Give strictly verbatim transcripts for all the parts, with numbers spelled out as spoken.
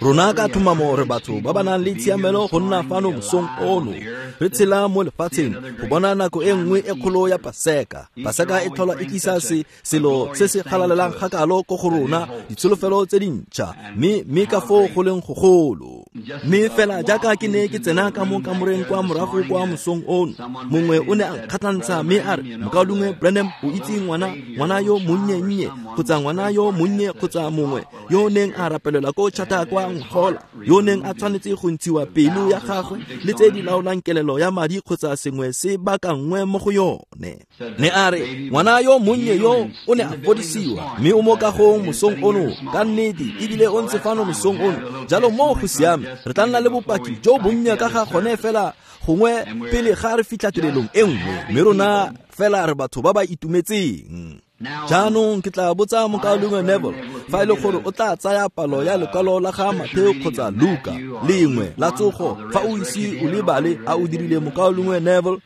Rona ka tlhomamo re batho ba ba nang le tshiamelo go nna fano mosong ono, re tshela mo lefatsheng go bona nako e nngwe e kgolo ya Paseka. Paseka e tlhola e tlisa se selo se se galalelang gakalo ko go rona, ditsholofelo tse dintšha, mme mme ka foo go leng gogolo. Mme fela jaaka ke ne ke tsena ka mo kamoreng kwa morago kwa mosong ono, mongwe o ne a nkgatlhantsha mme a re, Mokaulengwe Branham, o itse ngwana ngwana yo monnye-nnye kgotsa ngwana yo monnye kgotsa mongwe yo o neng a rapelelwa ko Chata kwa Ngola, yo neng a tshwanetse go ntshiwa pelo ya gagwe le tse di laolang kelelo ya madi kgotsa sengwe se baakangwe mo go yone. Ne a re, ngwana yo monnye yo o ne a fodisiwa mme o mo kagong mosong ono ka nnete, ebile o ntse fano mosong ono. Jalo mo go siame, re tla nna le bopaki jo bonnye ka ga gone fela gongwe pele ga re fitlha tirelong e nngwe, mme rona fela re batho ba ba itumetseng. Jaanong ke tla botsa Mokaulengwe Neville fa e le gore o tla tsaya palo ya lekwalo la ga Matheo kgotsa Luka lengwe la tsogo fa o ise o lebale a o dirile, Mokaulengwe Neville,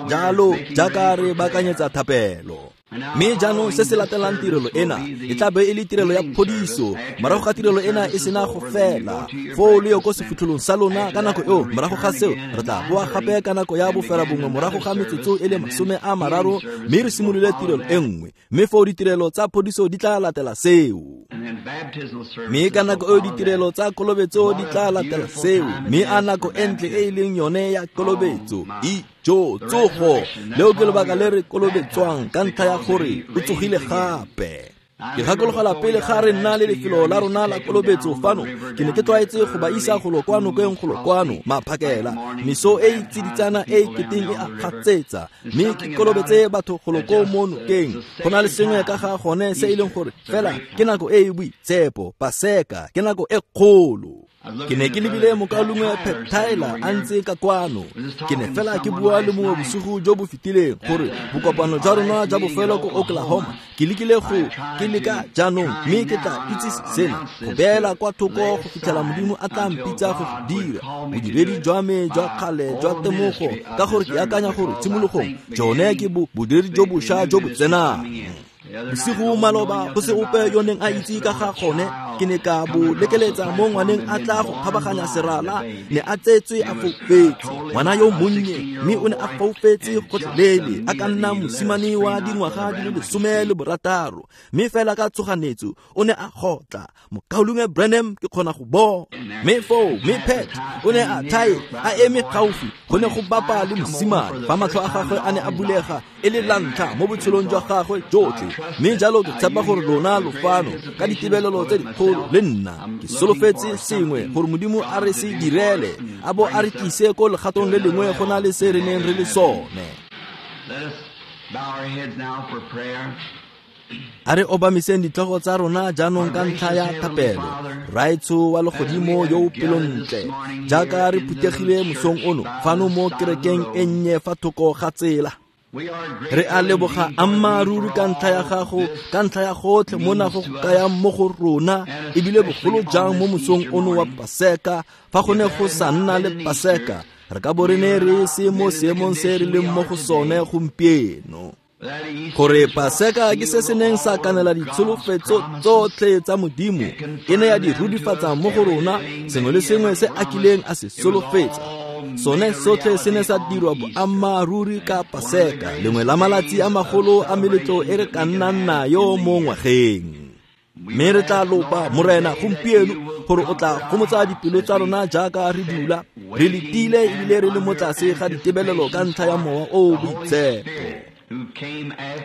jalo jaaka re baakanyetsa thapelo. Mme jaanong se se latelang tirelo ena e tla be e le tirelo ya phodiso. Morago ga tirelo ena e sena go fela, foo le yo ko sefitlholong sa lona ka nako eo. Morago ga seo re tla boa gape ka nako ya bofera bongwe morago ga metsotso e le masome a mararo, mme re simolole tirelo e nngwe, mme foo ditirelo tsa phodiso di tla latela seo. Mme ka nako eo ditirelo tsa kolobetso di tla latela seo, mme a nako e ntle e e leng yone ya kolobetso jo tsogo. Leo ke lebaka le re kolobetswang, ka ntlha ya gore o tsogile gape. Ke gakologelwa pele ga re nna le lefelo la rona la kolobetso fano, ke ne ke tlwaetse go ba isa golo kwa nokeng golo kwano maphakela, meso e e tsiditsana e e keteng e a gatsetsa, mme ke kolobetse batho golo ko mo nokeng. Go na le sengwe ka ga gone se e leng gore fela ke nako e e boitshepo, Paseka ke nako e kgolo. Ke ne ke lebile Mokaulengwe Pat Tyler a ntse ka kwano. Ke ne fela ke bua le mongwe bosigo jo bo fetileng gore bokopano jwa rona jwa bofelo ko Oklahoma, ke lekile go ke leka jaanong, mme ke tla itse sena go beela kwa thoko go fitlhela Modimo a tla mpitsa go go dira bodiredi jwa me jwa kgale jwa temogo, ka gore ke akanya gore tshimologong jone ke bodiredi jo bošwa jo bo tsenang. Bosigo maloba go se ope yo neng a itse ka ga gone, ke ne ka bo lekeletsa mo ngwaneng a tla go kgabaganya serala, ne a tsetswe a foufetse, ngwana yo monnye, mme o ne a foufetse gotlhelele, a ka nna mosimane wa dingwaga di le lesome le borataro, mme fela ka tshoganyetso o ne a gotla, Mokaulengwe Branham, ke kgona go bona. Mme foo mme Pat o ne a thae a eme gaufi, go ne go bapa le mosimane fa matlho a gagwe a ne a bulega e le la ntlha mo botshelong jwa gagwe jotlhe. Mme jalo ke tshepa gore lona lo fano ka ditebelelo tse dikgolo le nna. Ke solofetse sengwe gore Modimo a re se direle, a bo a re tlise ko legatong le lengwe go na le se re neng re le sone. A re obamiseng ditlhogo tsa rona jaanong ka ntlha ya thapelo. Rraetsho wa legodimo yo o pelontle, jaaka re phuthegile mosong ono fano mo kerekeng e nnye fa thoko ga tsela, re a leboga ammaaruri ka ntlha ya gago, ka ntlha ya gotlhe mo nago go kayang mo go rona, ebile bogolo jang mo mosong ono wa Paseka. Fa go ne go sa nna le Paseka, re ka bo re ne re se mo seemong se re leng mo go sone gompieno. Gore Paseka ke se se neng sa kanela ditsholofetso tsotlhe tsa Modimo, e ne ya di rurifatsa mo go rona, sengwe le sengwe se a kileng a se solofetsa. Sone sotlhe se ne sa dirwa boammaaruri ka Paseka, lengwe la malatsi a magolo a meletlo e re ka nnang nayo mo ngwageng. Mme re tla lopa Morena gompieno gore o tla gomotsa dipelo tsa rona jaaka re dula re letile ebile re le mo tlase ga ditebelelo ka ntlha ya Mowa o o Boitshepo,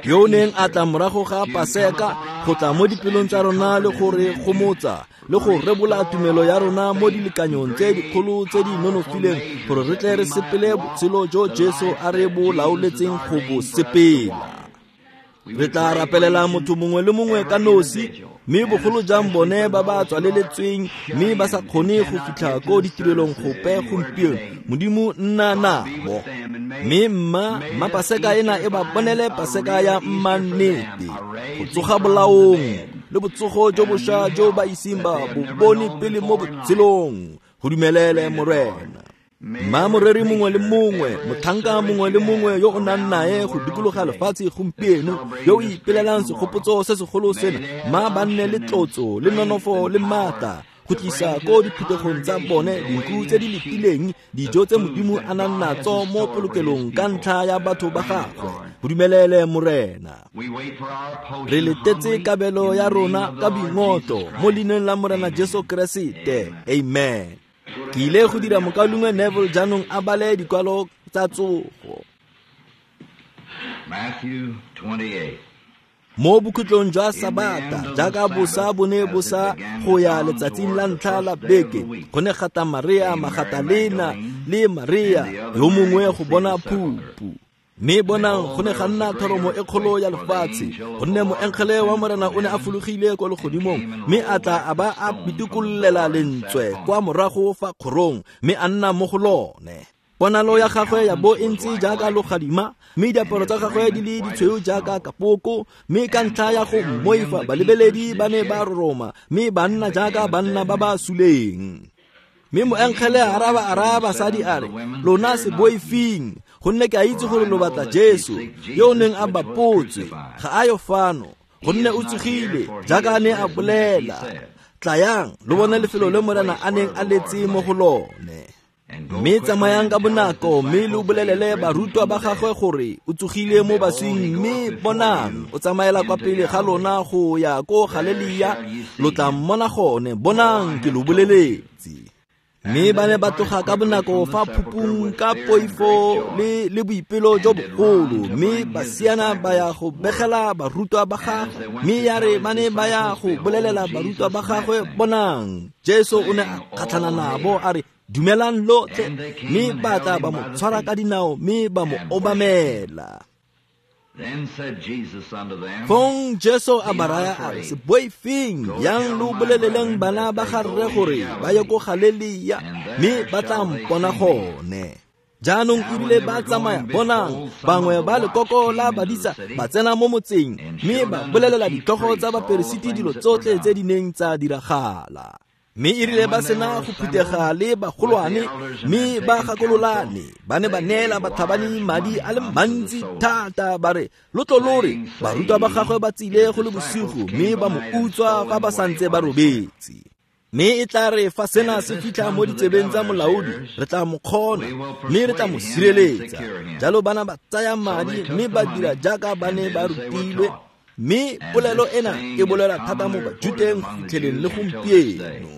yo o neng a tla morago ga Paseka go tla mo dipelong tsa rona le go re gomotsa le go rebola tumelo ya rona mo dilekanyong tse dikgolo tse di nonofileng, gore re tle re sepele botshelo jo Jesu a re bo laoletseng go bo sepela. Re tla rapelela motho mongwe le mongwe ka nosi, mme bogolo jang bone ba ba tswaleletsweng mme ba sa kgone go fitlha ko ditirelong gope gompieno. Modimo nna nabo, mme mma mma Paseka ena e ba bonele Paseka ya mmannete, go tsoga bolaong le botsogo jo bošwa jo ba iseng ba bo bone pele mo botshelong. Go dumelele Morena. Mma moreri mongwe le mongwe, motlhanka mongwe le mongwe yo o nang nae go dikologa lefatshe gompieno, yo o ipelelang segopotso se segolo sena, mma ba nne le tlotso le nonofo le maatla go tlisa ko diphuthegong tsa bone dinku tse di letileng dijo tse Modimo a nang natso mo polokelong ka ntlha ya batho ba gagwe. Go dumelele Morena. Re letetse kabelo ya rona ka boingotlo mo leineng la Morena Jesu Keresete. Amen. Ke ile go dira mokaulengwe Neville jaanong a bale dikwalo tsa tsogo. Matthew twenty-eight. Mo bokhutlong jwa Sabata, jaaka bosa bo ne bo sa go ya letsatsing la ntlha la beke, go ne ga tla Maria Magatalena le Maria yo mongwe go bona phupu. Mme bonang go ne ga nna thoromo e kgolo ya lefatshe, gonne moengele wa Morena o ne a fologile kwa legodimong, mme a tla a ba a pitikololela lentswe kwa morago fa kgorong, mme a nna mo go lone. Ponalo ya gagwe ya bo e ntse jaaka logadima, mme diaparo tsa gagwe di le ditshweu jaaka kapoko, mme ka ntlha ya go mmoifa balebeledi ba ne ba roroma, mme ba nna jaaka banna ba ba suleng. Mme moengele a araba a raya basadi a re, lona se boifeng, gonne ke a itse gore lo batla Jesu yo o neng a bapotswe, ga a yo fano, gonne o tsogile jaaka a ne a bolela. Tlayang lo bone lefelo le Morena a neng a letse mo go lone. Mme tsamayang ka bonako mme lo bolelele barutwa ba gagwe gore o tsogile mo baswing, mme bonang o tsamaela kwa pele ga lona go ya ko Galelia, lo tla mmona gone. Bonang ke lo boleletse. Mme ba ne ba tloga ka bonako fa phupung ka poifo le le boipelo jo bogolo, mme ba siana ba ya go begela barutwa ba gagwe. Mme ya re ba ne ba ya go bolelela barutwa ba gagwe, bonang Jesu o ne a kgatlhana nabo a re, dumelang lotlhe. Mme ba tla ba mo tshwara ka dinao mme ba mo obamela. Fong Jesu a ba raya a re, se boifeng, yang lo boleleleng bana ba ga rre gore ba ye ko Galelia, mme ba tla mpona gone. Jaanong erile ba tsamaya, bonang bangwe ba lekoko la badisa ba tsena mo motseng, mme ba bolelela ditlhogo tsa baperesiti dilo tsotlhe tse di neng tsa diragala. Mme erile ba sena go phuthega le bagolwane, mme ba gakololane, ba ne ba neela batlhabani madi a le mantsi thata, ba re, lo tlo lo re barutwa ba gagwe ba tsile go le bosigo, mme ba mo utswa fa ba santse ba robetse. Mme e tla re fa sena se fitlha mo ditsebeng tsa molaodi, re tla mo kgona, mme re tla mo sireletsa. Jalo bana ba tsaya madi mme ba dira jaaka ba ne ba rutilwe. Mme polelo ena e bolela thata mo Bajuteng go fitlheleng le gompieno.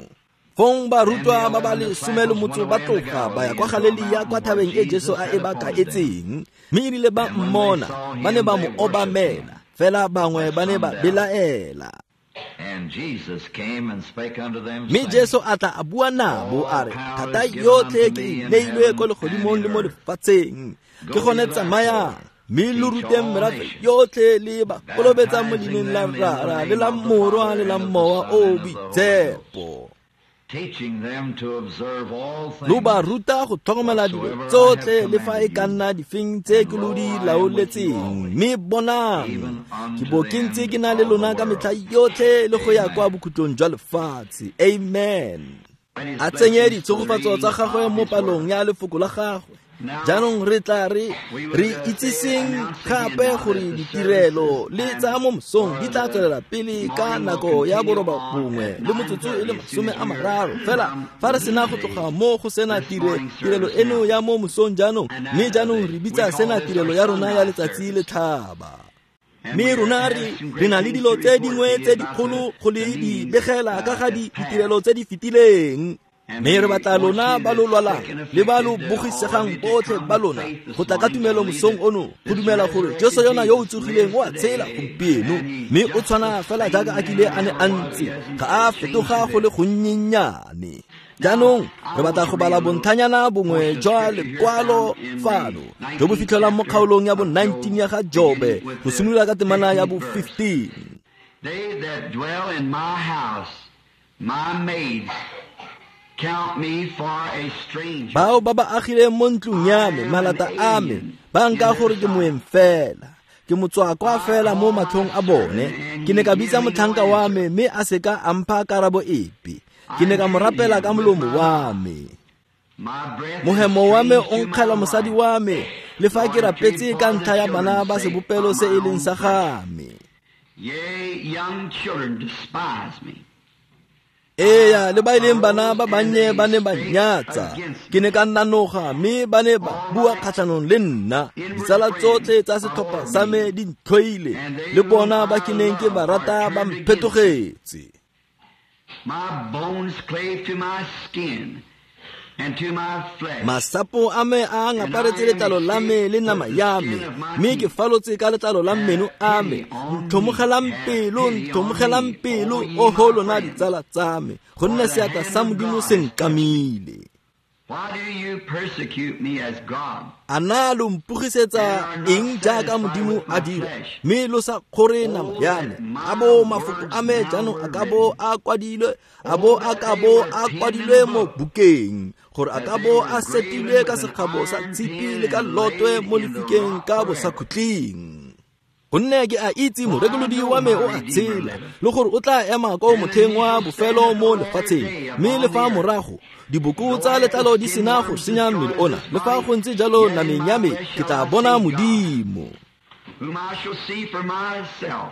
Fong barutwa ba ba lesome le motso ba tloga ba ya kwa Galelia kwa thabeng e Jesu a e ba kaetseng, mme erile ba mmona ba ne ba mo obamela, fela bangwe ba ne ba belaela. Mme Jesu a tla a bua nabo a re, thata yotlhe ke e neilwe ko legodimong le mo lefatsheng, ke gone tsamayang mme lo ruteng merafe yotlhe le ba kolobetsa mo leineng la Rara le la Morwa le la Mowa o o Boitshepo. Lo ba ruta go tlhokomela dilo tsotlhe le fa e ka nna difeng tse ke lo di laoletseng. Mme bonang, ke bo ke ntse ke na le lona ka metlha yotlhe le go ya kwa bokhutlong jwa lefatshe. Amen. A tsenye ditshegofatso tsa gagwe mo palong ya lefoko la gagwe. Jaanong re tla re re itsiseng gape gore ditirelo le tsa mo mosong di tla tswelela pele ka nako ya boroba bongwe le motsotso e le masome a mararo fela fa re sena go tloga mo go sena tire tirelo eno ya mo mosong jaanong, mme jaanong re bitsa sena tirelo ya rona ya letsatsi le tlhaba. Mme rona re re na le dilo tse dingwe tse dikgolo go le di begela ka ga ditirelo tse di fetileng. Mme re batla lona ba lo lwalang le ba lo bogisegang botlhe ba lona go tla ka tumelo mosong ono, go dumela gore Jesu yona yo o tsogileng o a tshela gompieno, mme o tshwana fela jaaka a kile a ne a ntse, ga a fetoga go le gonnyenyane. Jaanong re batla go bala bontlhanyana bongwe jwa lekwalo fano jo bo fitlhelwang mo kgaolong ya bo nineteen ya ga Jobe, go simolola ka temana ya bo fifteen. They that dwell in my house, my maids, count me for a stranger. Bao ba ba agileng mo ntlong ya me, malata a me, ba nka gore ke moeng fela, ke motswakwa fela mo matlhong a bone. Ke ne ka bitsa motlhanka wa me, mme a se ka a mpha karabo epe. Ke ne ka mo rapela ka molomo wa me. Mohemo wa me o nkgela mosadi wa me, le fa ke rapetse ka ntlha ya bana ba sebopelo se e leng sa ga me. Yea, young children despise me. Eya, le ba e leng bana ba bannye ba ne ba nnyatsa. Ke ne ka nanoga mme ba ne ba bua kgatlhanong le nna. Ditsala tsotlhe tsa setlhopha sa me di ntlhoile, le bona ba ke neng ke ba rata ba mphetogetse. My bones clave to my skin and to my flesh. Masapo a me a ngaparetse letlalo la me le nama ya me, mme ke falotse ka letlalo la meno a me. Ntlhomogelang pelo, ntlhomogelang pelo, oho lona ditsala tsa me, gonne seatla sa Modimo se nkamile. Why do you persecute me as God? A na lo mpogisetsa eng jaaka Modimo a dira, mme lo sa kgore nama ya me? A bo mafoko a me jaanong a ka bo a kwadilwe, a bo a ka bo a kwadilwe mo bukeng, gore a ka bo a setilwe ka sekgabo sa tshipi le ka lotwe mo lefikeng ka bosakhutleng. Gonne ke a itse morekolodi wa me o a tshela, le gore o tla ema ko motlheng wa bofelo mo lefatsheng, mme le fa morago diboko tsa letlalo di sena go senya mmele ona, le fa go ntse jalo nameng ya me ke tla bona Modimo, whom I shall see for myself.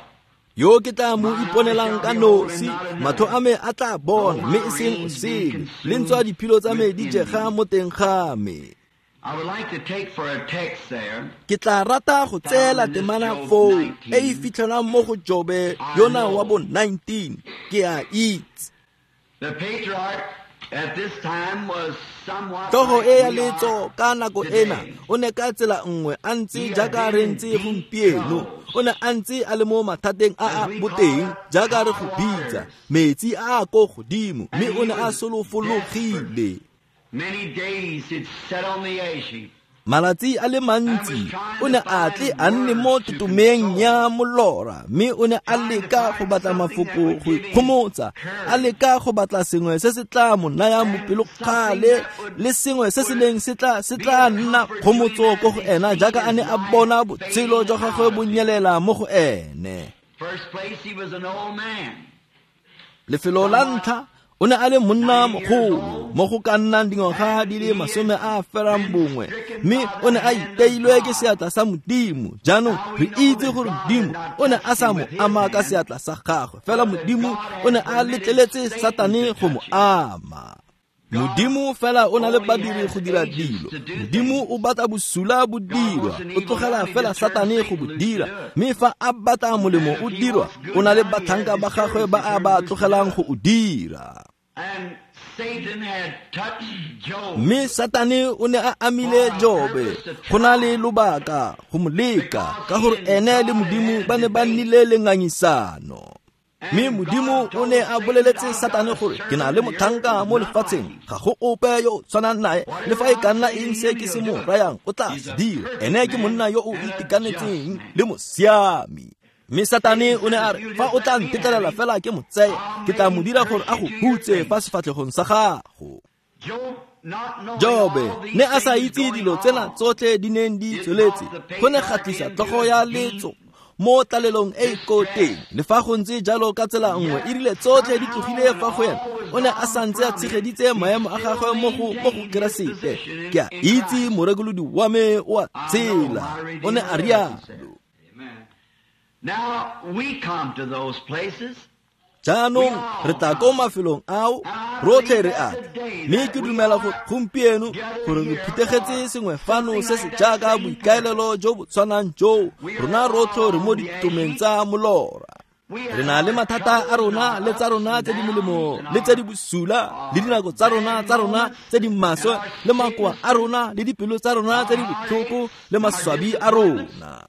Yo ke tla mo iponelang ka nosi, matlho a me a tla bona, mme e seng o sele, le ntswa diphilo tsa me di jega mo teng ga me. I would like to take for a text there. Ke tla rata go tseela temana foo e e fitlhelwang mo go Jobe yona wa bo nineteen. Ke a itse. The patriarch at this time was somewhat Tlhogo like e ya we are letso ka nako ena o ne ka tsela nngwe a ntse jaaka re ntse gompieno. O ne a ntse a le mo mathateng a a boteng jaaka re go bitsa, metsi a a ko godimo, mme o ne a solofologile. Many days he'd sat on the ash heap. Malatsi a le mantsi o ne a tle a nne mo totomeng ya molora, mme o ne a leka go batla mafoko go ikgomotsa, a leka go batla sengwe se se tla mo nayang bopelokgale le sengwe se se neng se tla se tla nna kgomotso ko go ena, jaaka a ne a bona botshelo jwa gagwe bo nyelela mo go ene. First place, he was an old man. Lefelo la ntlha o ne a le monna mogolo mo go ka nnang dingwaga di le masome a ferang bongwe, mme o ne a iteilwe ke seatla sa Modimo. Jaanong re itse gore Modimo o ne a sa mo ama ka seatla sa gagwe, fela Modimo o ne a letleletse Satane go mo ama. Modimo fela o na le badiri go dira dilo. Modimo o batla bosula bo dirwa, o tlogela fela Satane go bo dira, mme fa a batla molemo o dirwa, o na le batlhanka ba gagwe ba a ba tlogelang go o dira. And Satan had touched Job. Mme Satane o ne a amile Jobe go na le lobaka go mo leka, ka gore ene le Modimo ba ne ba nnile le ngangisano. Mme Modimo o ne a boleletse Satane gore ke na le motlhanka mo lefatsheng, ga go ope yo o tshwanang nae, le fa e ka nna eng se ke se mo rayang o tla se dira. Ene ke monna yo o itekanetseng le mosiami. Mme Satane o ne a re, fa o tla ntetlelela fela ke mo tseye, ke tla mo dira gore a go hutse fa sefatlhegong sa gago. Job not knowing Jobe all these ne a sa things itse going dilo tsena on, tsotlhe di neng di tsweletse, go ne ga tlisa tlhogo ya letso mo tlalelong e e ko teng. Le fa go ntse jalo ka tsela nngwe, e rile tsotlhe di tlogile fa go ena, o ne a santse a tshegeditse maemo a gagwe mo go mo go Keresete. Ke a itse morekolodi wa me o a tshela, o ne a rialo. Now we come to those places. Jaanong re tla ko mafelong ao, rotlhe re a tla. Mme ke dumela gore gompieno gore re phuthegetse sengwe fano se se jaaka boikaelelo jo bo tshwanang joo. Rona rotlhe re mo ditomeng tsa molora. Re na le mathata a rona le tsa rona tse di molemo le tse di bosula, le dinako tsa rona tsa rona tse di maswe, le makoa a rona le dipelo tsa rona tse di botlhoko le maswabi a rona.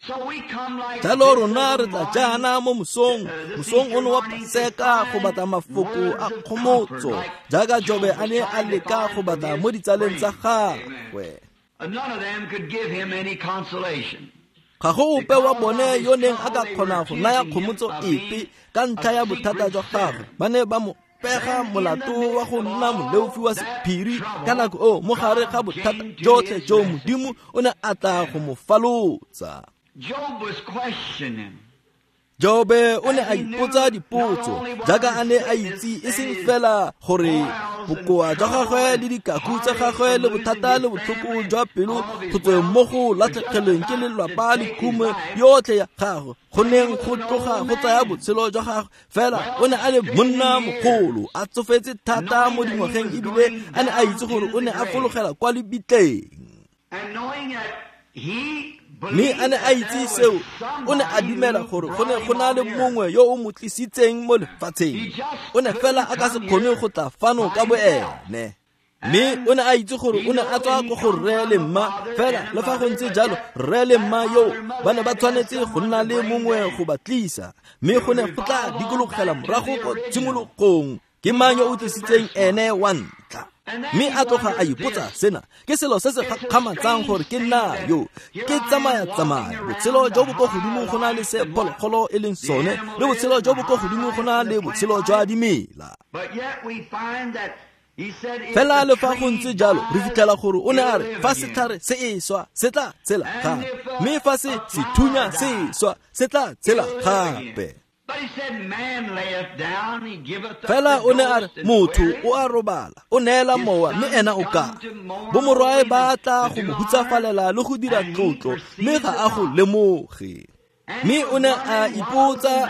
So we come like Jalo this rona re tla jaana mo mosong, mosong ono wa Paseka go batla mafoko a kgomotso, jaaka Jobe a ne a leka go batla mo ditsaleng tsa gagwe. None of them could give him any consolation. Ga go ope wa bone yo neng a ka kgona go naya kgomotso epe ka ntlha ya bothata jwa gagwe. Ba ne ba mo pega molato wa go nna moleofi wa sephiri ka nako eo, mo gare ga bothata jotlhe jo Modimo o ne a tla go mo falotsa. Job was questioning. Jobe o ne a ipotsa dipotso jaaka a ne a itse e seng fela gore Bokoa jwa gagwe le dikaku tsa gagwe le bothata le botlhoko jwa pelo go tsweng mo go latlhegelweng ke lelapa le khumo yotlhe ya gagwe go neng go tloga go tsaya botshelo jwa gagwe. Fela o ne a le monna mogolo, a tsofetse thata mo dingwageng, ebile a ne a itse gore o ne a fologela kwa lebitleng. Mme a ne a itse seo, o ne a dumela gore go ne go na le mongwe yo o mo tlisitseng mo lefatsheng. O ne fela a ka se kgone go tla fano ka boene. Mme o ne a itse gore o ne a tswa ko go rre le mma, fela le fa go ntse jalo rre le mma yo ba ne ba tshwanetse go nna le mongwe go ba tlisa. Mme go ne go tla dikologela morago ko tshimologong, ke mang yo o tlisitseng ene wa ntlha? Mme a tloga a ipotsa sena, ke selo se se gakgamatsang gore ke nna yo ke tsamaya-tsamaya botshelo jo bo ko godimo go na le se phologolo e leng sone, le botshelo jo bo ko godimo go na le botshelo jwa dimela. Fela le fa go ntse jalo re fitlhela gore o ne a re fa setlhare se e swa se tla tshela gape, mme fa se sethunya se e swa se tla tshela gape. Fela o ne a re motho o a robala, o neela mowa, mme ena o ka. Bomorwae ba tla go mo hutsafalela le go dira tlotlo, mme ga a go lemoge. Mme o ne a ipotsa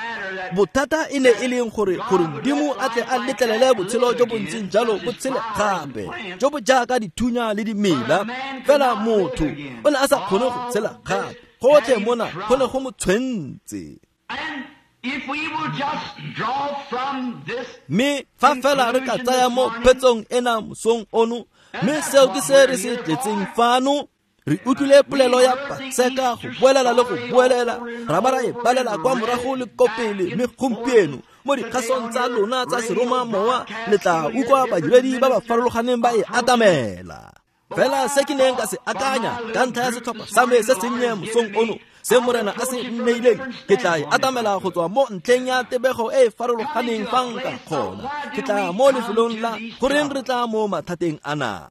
bothata e ne e leng gore gore Modimo a tle a letlelele botshelo jo bo ntseng jalo bo tshele gape, jo bo jaaka dithunya le dimela. Fela motho o ne a sa kgone go tshela gape, gotlhe mona go ne go mo tshwentse. Mme fa fela re ka tsaya mo phetsong ena mosong ono, mme seo ke se re se tletseng fano. Re utlwile polelo ya Paseka go boelela le go boelela, ra ba ra e balela kwa morago le ko pele. Mme gompieno mo dikgasong tsa lona tsa seromamowa le tla utlwa badiredi ba ba farologaneng ba e atamela. Fela se ke neng ka se akanya ka ntlha ya setlhopha sa me se sennye mosong ono, se Morena a se nneileng, ke tla e atamela go tswa mo ntlheng ya tebego e e farologaneng fa nka kgona. Ke tla mo lefelong la goreng re tla mo mathateng ana.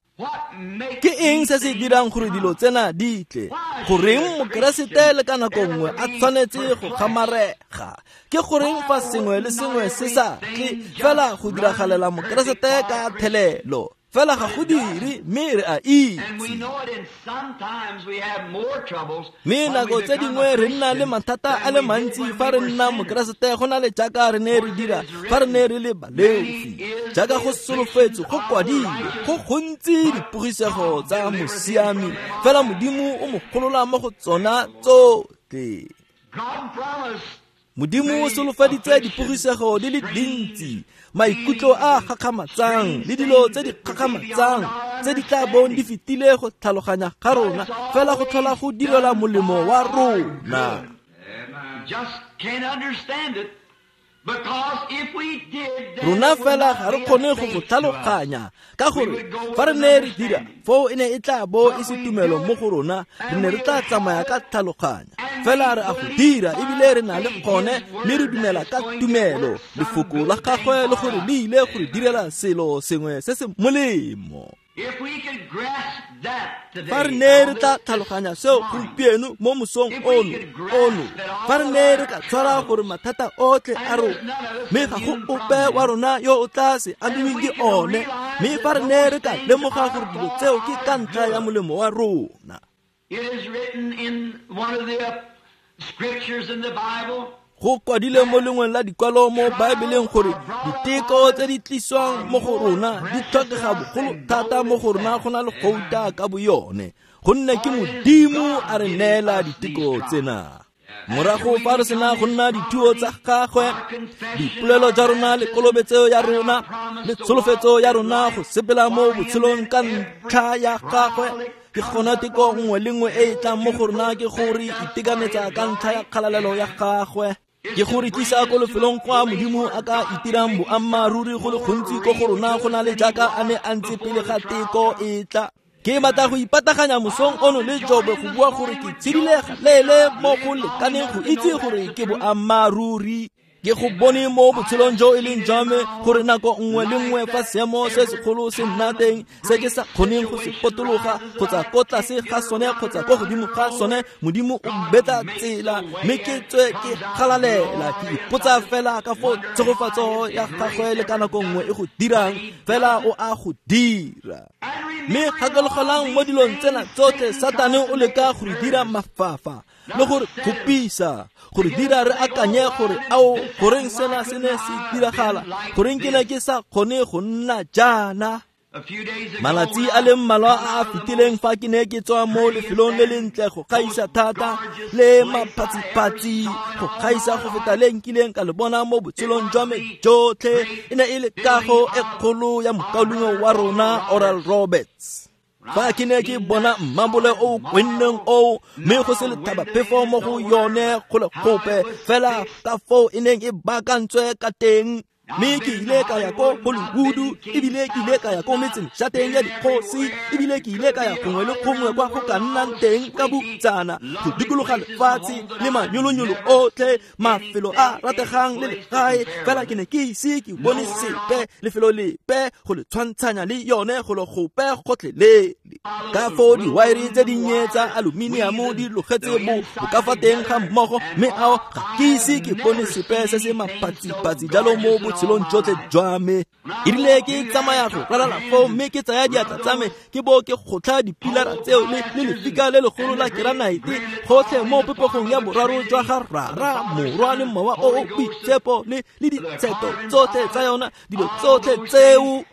Ke eng se se dirang gore dilo tsena di tle? Goreng Mokeresete le ka nako nngwe a tshwanetse go kgamarega? Ke goreng fa sengwe le sengwe se sa tle fela go diragalela Mokeresete ka thelelo? Fela ga go dire, mme re a itse. Mme nako tse dingwe re nna le mathata a le mantsi fa re nna Mokeresete go na le jaaka re ne re dira fa re ne re le baleofi. Jaaka go solofetswe, go kwadilwe, go gontsi dipogisego tsa mosiami, fela Modimo o mo golola mo go tsona tsotlhe. Modimo o solofeditse dipogisego di le dintsi, maikutlo a gakgamatsang le dilo tse di gakgamatsang tse di tla bong di fetile go tlhaloganya ga rona, fela go tlhola go direla molemo wa rona. Rona fela ga re kgone go go tlhaloganya, ka gore fa re ne re dira foo e ne e tla bo e se tumelo mo go rona, re ne re tla tsamaya ka tlhaloganya. Fela re a go dira ebile re na le kgone, mme re dumela ka tumelo lefoko la gagwe le gore le ile go re direla selo sengwe se se molemo. Fa re ne re tla tlhaloganya seo gompieno mo mosong ono ono, fa re ne re ka tshwara gore mathata otlhe a rona, mme ga go ope wa rona yo o tla se amiweng ke one, mme fa re ne re ka lemoga gore dilo tseo ke ka ntlha ya molemo wa rona. Go kwadile mo lengweng la dikwalo mo Baebeleng gore diteko tse di tliswang mo go rona di tlhokega bogolo thata mo go rona go na le gouta ka boyone, gonne ke Modimo a re neela diteko tsena. Morago fa re sena go nna dithuo tsa gagwe, dipolelo tsa rona le kolobetso ya rona le tsholofetso ya rona go sepela mo botshelong ka ntlha ya gagwe, ke gona teko nngwe le nngwe e e tlang mo go rona ke gore itekanetsa ka ntlha ya kgalalelo ya gagwe, ke gore tlisa ko lefelong kwa Modimo a ka itirang boammaaruri go le gontsi ko go rona go na le jaaka a ne a ntse pele ga teko e tla. Ke batla go ipataganya mosong ono le Jobe go bua gore ke tshedile galeele mo go lekaneng go itse gore ke boammaaruri. Ke go bone mo botshelong jo e leng jwa me gore nako nngwe le nngwe fa seemo se segolo se nna teng se ke sa kgoneng go se potologa kgotsa ko tlase ga sone kgotsa ko godimo ga sone, Modimo o betla tsela mme ke tswe ke galalela. Ke ipotsa fela ka foo tshegofatso ya gagwe le ka nako nngwe e go dirang, fela o a go dira. Mme gakologelang mo dilong tsena tsotlhe, Satane o leka go re dira mafafa le gore kgopisa, gore dira re akanye gore ao goreng sena se ne se diragala, goreng ke ne ke sa kgone go nna jaana. Malatsi a le mmalwa a a fetileng fa ke ne ke tswa mo lefelong le lentle go gaisa thata le maphatsiphatsi go gaisa go feta le nkileng ka le bona mo botshelong jwa me jotlhe, e ne e le kago e kgolo ya mokaulengwe wa rona Oral Roberts. Fa ke ne ke bona mmabole o kwenneng oo, mme go se lethabaphefo mo go yone go le gope fela ka foo e neng e baakantswe ka teng. Mme ke ile ka ya ko Hollywood, ebile ke ile ka ya ko metseng šateng ya dikgosi, ebile ke ile ka ya gongwe le gongwe kwa go ka nnang teng ka butsana go dikologa lefatshe le manyolonyolo otlhe, mafelo a rategang le legae, fela ke ne ke ise ke bone sepe lefelo lepe go le tshwantshanya le yone go le gope gotlhelele. Ka foo diwaere tse dinnye tsa aluminiamo di logetse bo bo ka fa teng ga mmogo, mme ao ga ke ise ke bone sepe se se maphatsiphatsi jalo mo botshelong jotlhe jwa me. Erile ke tsamaya go ralala foo mme ke tsaya diatla tsa me ke bo ke gotlha dipilara tseo le le lefika le legolo la keranaete gotlhe mo popegong ya boraro jwa ga Rara, Morwa le Mowa o o Boitshepo le le ditsheto tsotlhe tsa yona, dilo tsotlhe tseo.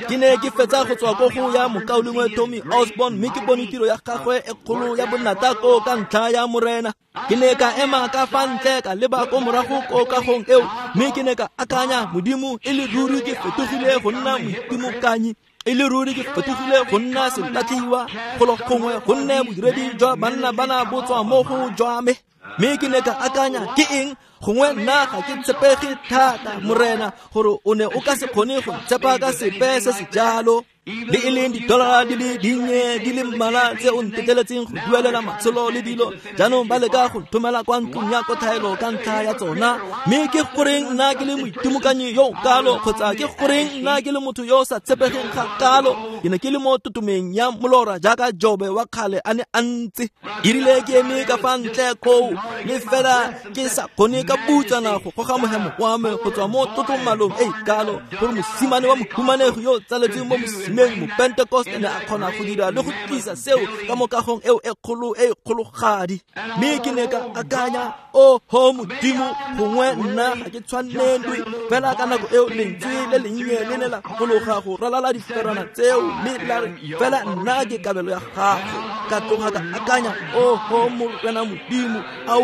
Ke ne ke fetsa go tswa ko go ya mokaulengwe Tommy Osborne mme ke bone tiro ya gagwe e kgolo ya bonata ko ka ntlha ya Morena. Ke ne ka ema ka fa ntle ka leba ko morago ko kagong eo mme ke ne ka akanya, Modimo, e le ruri ke fetogile go nna moitimokanyi, e le ruri ke fetogile go nna selatlhiwa golo gongwe, gonne bodiredi jwa banna bana bo tswa mo go jwa me. Mme ke ne ka akanya, ke eng gongwe nna ga ke tshepege thata, Morena, gore o ne o ka se kgone go ntshepa ka sepe se se jalo, le e leng didolara di le dinnye di le mmalwa tse o ntetleletseng go duelela matsholo le dilo, jaanong ba leka go nthomela kwa ntlong ya kotlhaelo ka ntlha ya tsona. Mme ke goreng nna ke le moitimokanyi yo o kalo, kgotsa ke goreng nna ke le motho yo o sa tshepegeng ga kalo? Ke ne ke le mo totomeng ya molora jaaka Jobe wa kgale a ne a ntse. Erile ke eme ka fa ntle koo, le fela ke sa kgone ka butsana go goga mohemo wa me go tswa mo tlotlomalong e kalo, gore mosimane wa mohumanegi yo o tsaletsweng mo mosimeng mo Pentecost ne a kgona go dira le go tlisa seo ka mo kagong eo e kgolo e kgologadi. Mme ke ne ka akanya, oho Modimo, gongwe nna ga ke tshwanelwe. Fela ka nako eo lentswe le lennye le ne la fologa go ralala diferana tseo mme la re, fela nna ke kabelo ya gago. Ka tloga ka akanya, oho Morena Modimo, ao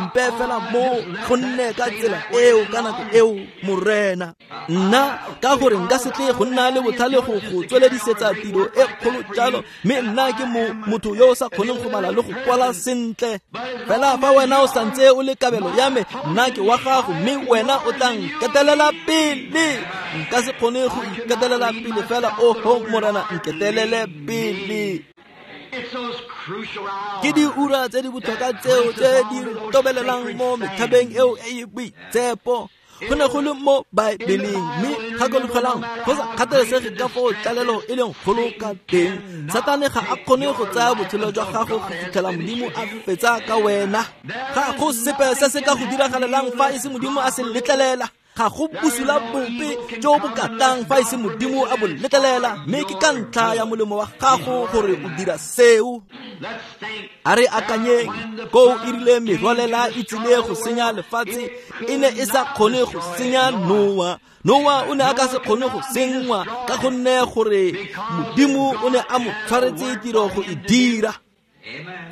mpe fela mo gonne ka tsela eo ka nako eo, Morena. Nna ka gore nka se tle go nna le botlhale go go tsweledisetsa tiro e kgolo jalo, mme nna ke mo motho yo o sa kgoneng go bala le go kwala sentle. Fela fa wena o santse o le kabelo ya me, nna ke wa gago, mme wena o tla nketelela pele. Nka se kgone go iketelela pele, fela oho Morena, nketelele pele. Ke diura tse di botlhokwa tseo tse di tobelelang mo methabeng eo e e boitshepo. Go ne go le mo Baebeleng, mme gakologelang go sa kgathalesege ka foo tlalelo e leng kgolo ka teng, Satane ga a kgone go tsaya botshelo jwa gago go fitlhela Modimo a fetsa ka wena. Ga go sepe se se ka go diragalelang fa e se Modimo a se letlelela. Ga go bosula bope jo bo katang fa e se Modimo a bo letlelela, mme ke ka ntlha ya molemo wa gago gore o dira seo. A re akanyeng, koo e rile merwalela e tsile go senya lefatshe, e ne e sa kgone go senya Noa. Noa o ne a ka se kgone go senngwa ka gonne gore Modimo o ne a mo tshwaretse tiro go e dira.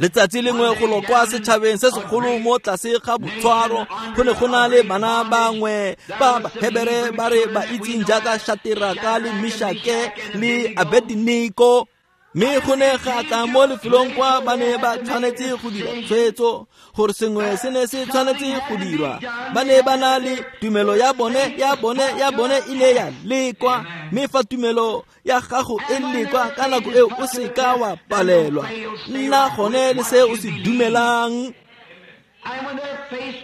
Letsatsi lengwe go lo kwa setšhabeng se segolo mo tlase ga botshwaro, go ne go na le bana bangwe ba Bahebere ba re ba itseng jaaka Shateraka le Mishake le Abednego. Mme go ne ga tla mo lefelong kwa ba ne ba tshwanetse go dira tshwetso gore sengwe se ne se tshwanetse go dirwa. Ba ne ba na le tumelo ya bone ya bone ya bone e ne ya lekwa, mme fa tumelo ya gago e lekwa ka nako eo o se ka wa palelwa. Nna gone le se o se dumelang.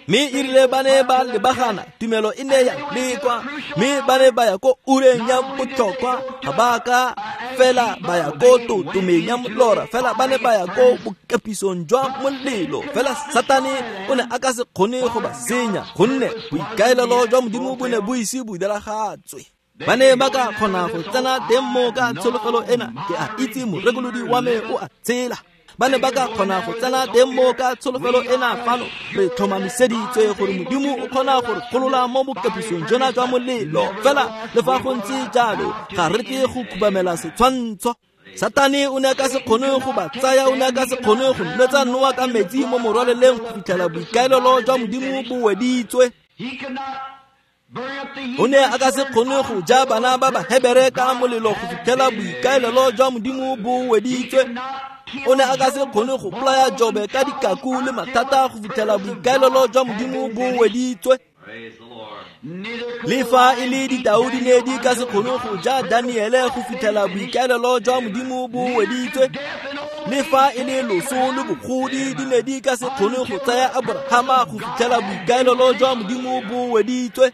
Mme e rile ba ne ba lebagana, tumelo e ne ya lekwa, mme ba ne ba ya ko ureng ya botlhokwa, ga ba ka fela ba ya ko totomeng ya molora, fela ba ne ba ya ko bokepisong jwa molelo. Fela Satane o ne a ka se kgone go ba senya, gonne boikaelelo jwa Modimo bo ne bo ise bo diragatswe. Ba ne ba ka kgona go tsena teng mo ka tsholofelo ena, ke a itse morekolodi wa me o a tshela. Ba ne ba ka kgona go tsena teng mo ka tsholofelo ena fano, re tlhomamiseditswe gore Modimo o kgona go re golola mo bokepisong jona jwa molelo. Fela le fa go ntse jalo, ga re tle go khubamela setshwantsho. Satane o ne a ka se kgone go ba tsaya, o ne a ka se kgone go nwetsa Noa ka metsi mo morwaleleng go fitlhela boikaelelo jwa Modimo bo weditswe. O ne a ka se kgone go ja bana ba Bahebere ka molelo go fitlhela boikaelelo jwa Modimo bo weditswe. O ne a ka se kgone go bolaya Jobe ka dikaku le mathata go fitlhela boikaelelo jwa Modimo bo weditswe. Le fa e le ditau di ne di ka se kgone go ja Daniele go fitlhela boikaelelo jwa Modimo bo weditswe. Le fa e le loso le bogodi di ne di ka se kgone go tsaya Abrahama go fitlhela boikaelelo jwa Modimo bo weditswe.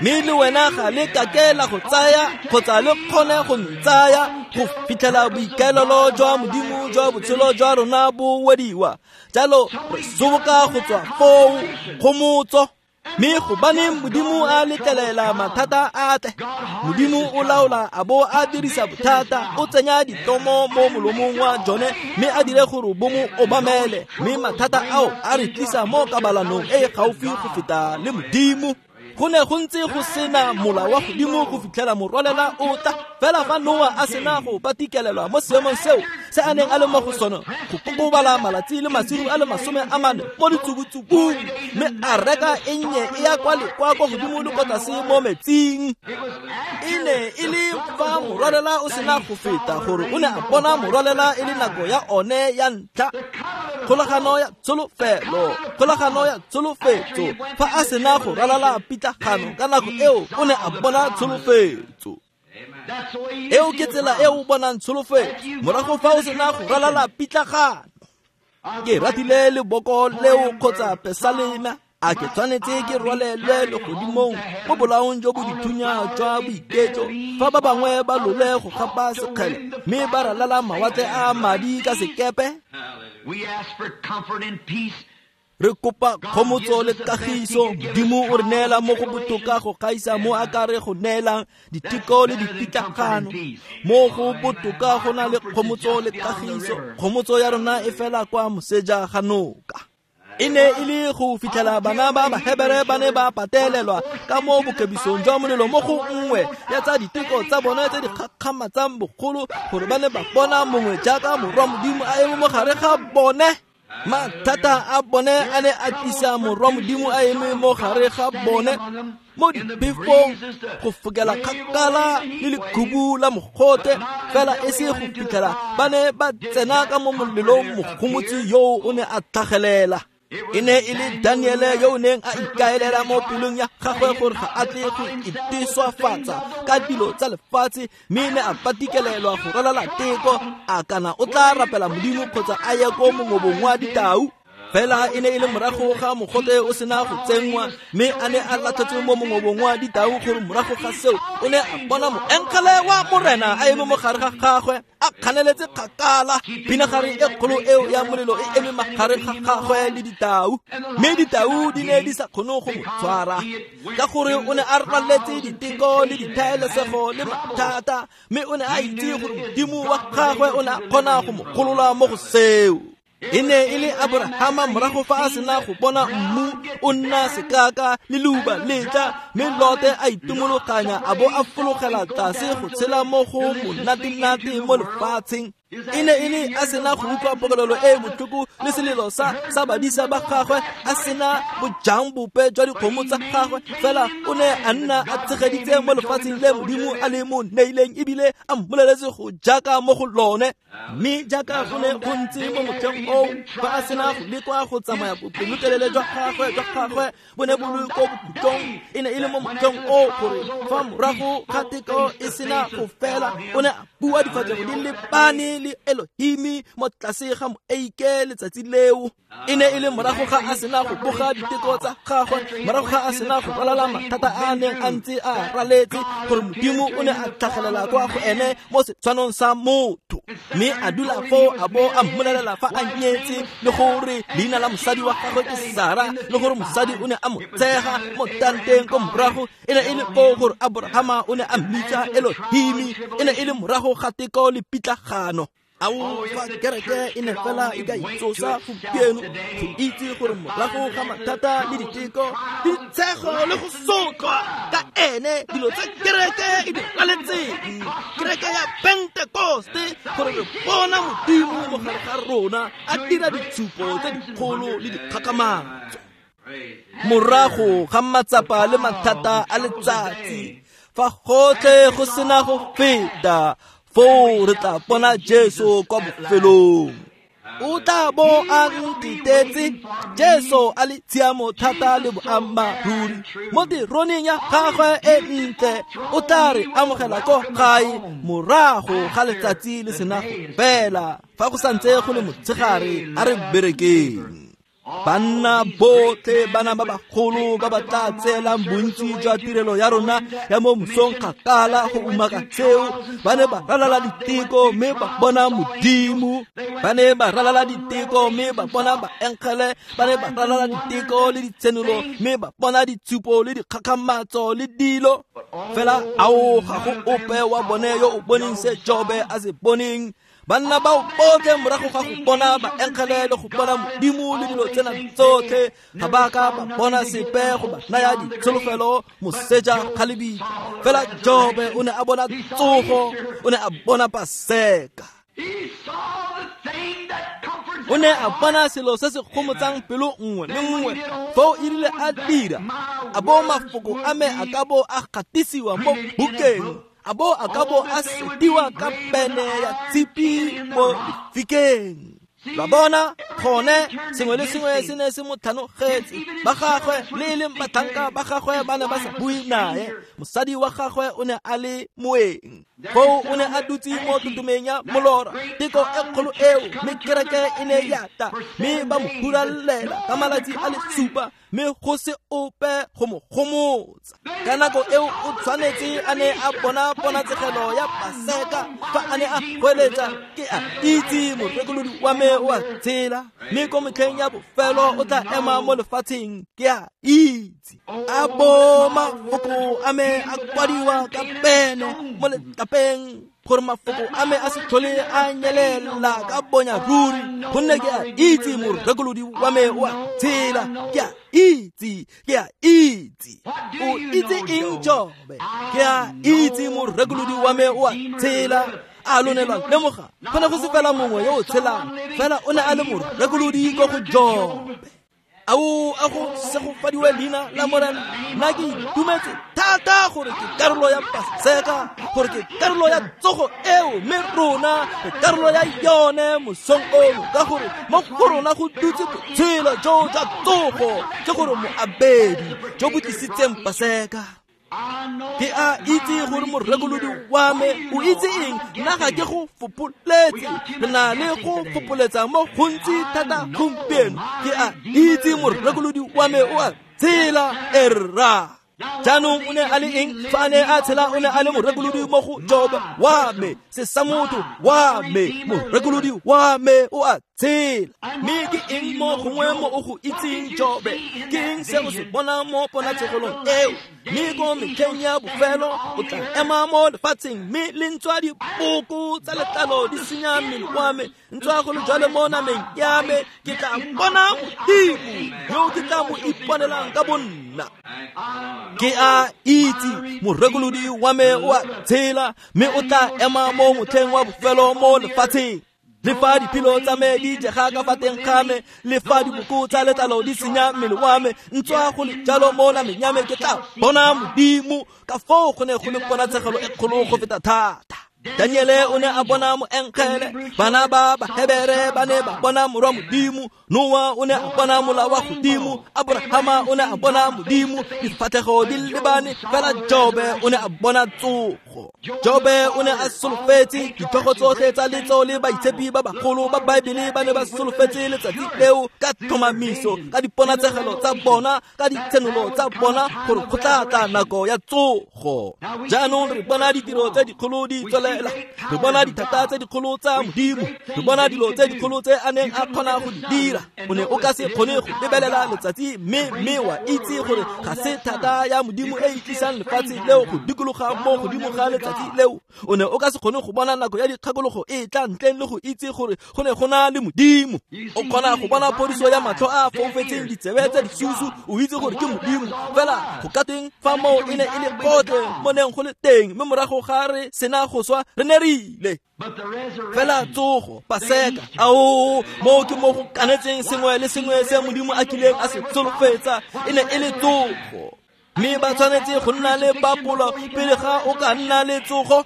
Mme le wena ga le kake la go tsaya kgotsa le kgone go ntsaya go fitlhela boikaelelo jwa Modimo jwa botshelo jwa rona bo wediwa. Jalo re soboka go tswa foo kgomotso. Mme gobaneng Modimo a letlelela mathata a tle? Modimo o laola a bo a dirisa bothata, o tsenya ditomo mo molomong wa jone mme a dire gore bo mo obamele. Mme mathata ao a re tlisa mo kabalanong e e gaufi go feta le Modimo. Go ne go ntse go sena mola wa godimo go fitlhela morwalela o tla. Fela fa Noa a sena go patikelelwa mo seemong seo se a neng a le mo go sone, go kokobala malatsi le masigo a le masome a mane mo ditsubutsubung, mme a reka e nnye e ya kwa le kwa kwa godimo le kwa tlase mo metsing. E ne e le fa morwalela o sena go feta gore o ne a bona morwalela e le nako ya one ya ntlha. Kgolagano ya tsholofelo, kgolagano ya tsholofetso. Fa a sena go ralala pitlagano ka nako eo, o ne a bona tsholofetso. Eo ke tsela e o bonang tsholofetso morago fa o sena go ralala pitlagano. Ke ratile leboko leo kgotsa pesalema. A ke tshwanetse ke rwalelwe legodimong mo bolaong jo bo dithunya jwa boiketlo, fa ba bangwe ba lole go gapa sekgele mme ba ralala mawatle a madi ka sekepe. Re kopa kgomotso le kagiso. Modimo o re neela mo go botoka go gaisa mo a ka re go neelang diteko le dipitlagano. Mo go botoka go na le kgomotso le kagiso. Kgomotso ya rona e fela kwa moseja ga noka. E ne e le go fitlhela bana ba Bahebere ba ne ba patelelwa ka mo bokebisong jwa molelo mo go nngwe ya tsa diteko tsa bone tse di kgakgamatsang bogolo, gore ba ne ba bona mongwe jaaka morwa Modimo a eme mo gare ga bone. Mathata a bone a ne a tlisa morwa Modimo a eme mo gare ga bone mo diphefong go fokela kgakala le lekhubu la mogote, fela e se go fitlhela ba ne ba tsena ka mo molelong. Mogomotsi yoo o ne a tlhagelela. E ne e le Daniele yo o neng a ikaelela mo pelong ya gagwe gore ga a tle go iteswafatsa ka dilo tsa lefatshe, mme ne a patikelelwa go ralala teko, a kana o tla rapela Modimo kgotsa a ye ko mongobong wa ditau. Fela e ne e le morago ga mogote o sena go tsenngwa, mme a ne a latlhetswe mo mongobong wa ditau, gore morago ga seo o ne a bona moengele wa Morena a eme mo gare ga gagwe, a kganeletse kgakala. Pinagare e kgolo eo ya molelo e eme magare ga gagwe le ditau, mme ditau di ne di sa kgone go mo tshwara, ka gore o ne a raletse diteko le dithaelesego le mathata, mme o ne a itse gore Modimo wa gagwe o ne a kgona go mo golola mo go seo. E ne e le Abrahama morago fa a sena go bona mmu o nna sekaka le leuba letla, mme Lote a itumologanya a bo a fologela tlase go tshela mo go monatenate mo lefatsheng. E ne e le a sena go utlwa pokelelo e botlhoko le selelo sa sa badisa ba gagwe, a sena bojang bope jwa dikgomo tsa gagwe, fela o ne a nna a tshegeditse mo lefatsheng le Modimo a le mo neileng, ebile a mmoleletse go jaaka mo go lone. Mme jaaka go ne go ntse mo motlheng oo, fa a sena go lekwa go tsamaya bopelotelele jwa gagwe jwa gagwe bo ne bo le ko bokhutlong, e ne e le le mo motlheng o gore fa morago ga teko e sena go fela o ne a bua difatlhego di lebane le Elohimi mo tlase ga moeike letsatsi leo. E ne e le morago ga a sena go boga diteko tsa gagwe, morago ga a sena go ralala mathata a neng a ntse a raletse, gore Modimo o ne a tlhagelela kwa go ene mo setshwanong sa motho, mme a dula foo a bo a mmolelela fa a nyetse, le gore leina la mosadi wa gagwe ke Sara, le gore mosadi o ne a mo tshega mo tanteng ko morago. E ne e le foo gore Abrahama o ne a mmitsa Elohimi. E ne e le morago ga teko le pitlagano. Ao, fa kereke e ne fela e ka itsosa gompieno go itse gore morago ga mathata le diteko le ditshego le go sotlwa ka ene dilo tsa kereke e di raletseng, kereke ya Pentekoste, gore re bona Modimo mo gare ga rona a dira ditshupo tse dikgolo le dikgakgamatso. Morago ga matsapa le mathata a letsatsi, fa gotlhe go sena go feta, foo re tla bona Jesu kwa bofelong. O tla bo a ntitetse, Jesu a le tshiamo thata le boammaaruri mo teroneng ya gagwe e ntle. O tla re amogela ko gae morago ga letsatsi le sena go fela, fa go santse go le motshegare a re berekeng. Banna botlhe, bana ba bagolo ba ba tla tseelang bontsi jwa tirelo ya rona ya mo mosong kgakala go umaka seo, ba ne ba ralala diteko mme ba bona Modimo. Ba ne ba ralala diteko mme ba bona baengele. Ba ne ba ralala diteko le ditshenolo mme ba bona ditshupo le dikgakgamatso le dilo. Fela ao, ga go ope wa bone yo o boneng se Jobe a se boneng. Banna bao botlhe morago ga go bona baengele le go bona Modimo le dilo tsena tsotlhe, ga ba ka ba bona sepe go ba naya ditsholofelo moseja ga lebitla. Fela Jobe o ne a bona tsogo, o ne a bona Paseka. O ne a bona selo se se gomotsang pelo nngwe le nngwe. Foo e rile a dira, a bo mafoko a me a ka bo a gatisiwa mo bukeng, a bo a ka bo a setiwa ka pene ya tshipi mo lefikeng. Ba bona gone sengwe le sengwe se ne se mo tlhanogetse. Ba gagwe le e leng batlhanka ba gagwe ba ne ba sa bue nae. Mosadi wa gagwe o ne a le moeng. Foo o ne a dutse mo totomeng ya molora, teko e kgolo eo, mme kereke e ne ya ta, mme ba mo huralela ka malatsi a le supa, mme go se ope go mo gomotsa. Ka nako eo o tshwanetse a ne a bona ponatsegelo ya Paseka fa a ne a goeletsa, ke a itse morekolodi wa me o a tshela, mme ko metlheng ya bofelo o tla ema mo lefatsheng, ke a itse. A bo mafoko a me a kwadiwa ka pene mo letlapeng, gore mafoko a me a se tlhole a nyelela ka bonya ruri, gonne ke a itse morekolodi wa me o a tshela, ke a itse, ke a itse. O itse eng, Jobe? Ke a itse morekolodi wa me o a tshela. A lo ne lwa lemoga, go ne go se fela mongwe yo o tshelang, fela o ne a le morekolodi ko go Jobe. Ao, a go segofadiwe leina la Morena. Nna ke itumetse thata gore ke karolo ya Paseka, gore ke karolo ya tsogo eo, mme rona re karolo ya yone mosong ono, ka gore mo go rona go dutse botshelo jo jwa tsogo, ke gore moabedi jo bo tlisitseng Paseka. Ke a itse gore morekolodi wa me o itse eng, nna ga ke go fopoletse. Re na le go fopoletsa mo gontsi thata gompieno. Ke a itse morekolodi wa me o a tshela, erra. Jaanong o ne a le eng fa a ne a tshela? O ne a le morekolodi mo go Jobe wa me, se sa motho wa me, morekolodi wa me o a tshela. Mme ke eng mo gongwe mo o go itseng, Jobe? Ke eng se o se bonang mo ponatshegelong eo? Mme ko metlheng ya bofelo o tla ema mo lefatsheng, mme le ntswa dipoko tsa letlalo di senya mmele wa me, ntswa go le jalo mo nameng ya me, ke tla bona Modimo yo ke tla mo iponelang ka bonna. Ke a itse morekolodi wa me o a tshela, mme o tla ema mo motlheng wa bofelo mo lefatsheng. Le fa diphilo tsa me di jega ka fa teng ga me, le fa diboko tsa letlalo di senya mmele wa me, ntswa go le jalo mo nameng ya me, ke tla bona Modimo. Ka foo go ne go le ponatshegelo e kgolo go feta thata. Daniele o ne a bona moengele, bana ba Bahebere ba ne ba bona morwa Modimo, Noa o ne a bona mola wa godimo, Abrahama o ne a bona Modimo, difatlhego di lebane, fela Jobe o ne a bona tsogo. Jobe o ne a solofetse ditlhogo tsotlhe tsa letso le baitshepi ba bagolo ba Baebele ba ne ba solofetse letsatsi leo ka tlhomamiso, ka diponatsegelo tsa bona, ka ditshenolo tsa bona gore go tla tla nako ya tsogo. Jaanong re bona ditiro tse dikgolo di tswelela, re bona dithata tse dikgolo tsa Modimo, re bona dilo tse dikgolo tse a neng a kgona go di dira. O ne o ka se kgone go lebelela letsatsi mme mme wa itse gore ga se thata ya Modimo e e tlisang lefatshe leo go dikologa mo godimo ga letsatsi leo. O ne o ka se kgone go bona nako ya dikgakologo e tla ntleng le go itse gore go ne go na le Modimo. O kgona go bona phodiso ya matlho a foufetseng, ditsebe tse disusu, o itse gore ke Modimo. Fela go ka tweng fa moo e ne e le gotlhe mo neng go le teng, mme morago ga re sena go swa re ne re ile. Fela tsogo, Paseka, ao moo ke mo go kanetseng sengwe le sengwe se Modimo a kileng a se solofetsa, e ne e le tsogo. Mme ba tshwanetse go nna le papolo pele ga o ka nna le tsogo.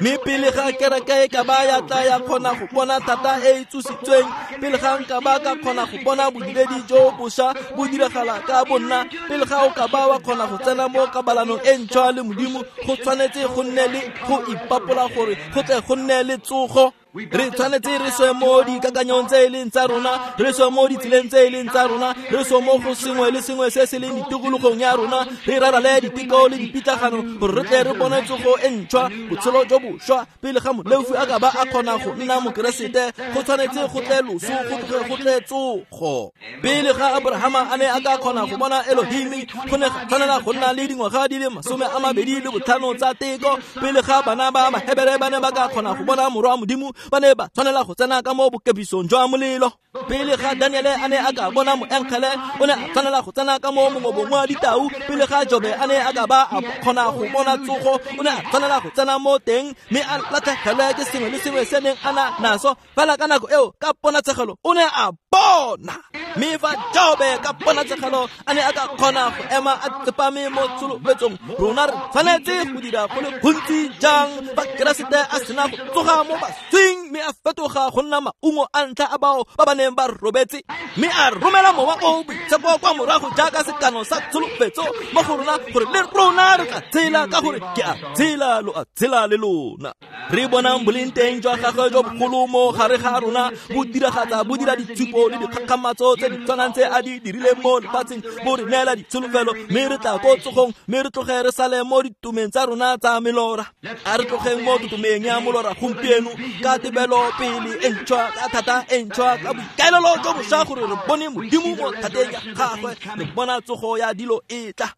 Mme pele ga kereke e ka ba ya tla ya kgona go bona thata e e tsositsweng, pele ga nka ba ka kgona go bona bodiredi jo bošwa bo diragala ka bonna, pele ga o ka ba wa kgona go tsena mo kabalanong e ntšhwa le Modimo, go tshwanetse go nne le go ipapola gore go tle go nne le tsogo. Re tshwanetse re swe mo dikakanyong tse e leng tsa rona, re swe mo ditseleng tse e leng tsa rona, re swe mo go sengwe le sengwe se se leng ditikologong ya rona, re rarale diteko le dipitlagano gore re tle re bone tsogo e ntšhwa, botshelo jo bošwa. Pele ga moleofi a ka ba a kgona go nna Mokeresete, go tshwanetse go tle loso, go tloge go tle tsogo. Pele ga Abrahama a ne a ka kgona go bona Elohimi, go ne ga tshwanela go nna le dingwaga di le masome a mabedi le botlhano tsa teko. Pele ga bana ba Bahebere ba ne ba ka kgona go bona morwa Modimo, ba ne ba tshwanela go tsena ka mo bokepisong jwa molelo. Pele ga Daniele a ne a ka bona moengele, o ne a tshwanela go tsena ka mo mongobong wa ditau. Pele ga Jobe a ne a ka ba a kgona go bona tsogo, o ne a tshwanela go tsena mo teng mme a latlhegelwe ke sengwe le sengwe se neng a na naso. Fela ka nako eo, ka ponatshegelo, o ne a bona. Mme fa Jobe ka ponatshegelo a ne a ka kgona go ema a tsepame mo tsholofetsong, rona re tshwanetse go dira go le gontsi jang fa Keresete a sena go tsoga mo baswing mme a fetoga go nna maungo a ntlha a bao ba ba neng ba robetse, mme a romela mowa o boitshepo kwa morago jaaka sekano sa tsholofetso mo go rona gore le rona re tla tshela, ka gore ke a tshela, lo a tshela le lona. Re bonang boleng teng jwa gagwe jo bogolo mo gare ga rona bo diragatsa, bo dira ditshupo le dikgakgamatso tse di tshwanang tse a di dirileng mo lefatsheng, bo re neela ditsholofelo, mme re tla ko tsogong, mme re tloge re sale mo ditumeng tsa rona tsa melora. A re tlogeng mo tutumeng ya molora gompieno ka tebelo pele e ntšhwa, ka thata e ntšhwa, ka boikaelelo jo bošwa gore re bone Modimo mo thateng ya gagwe, re bona tsogo ya dilo e tla.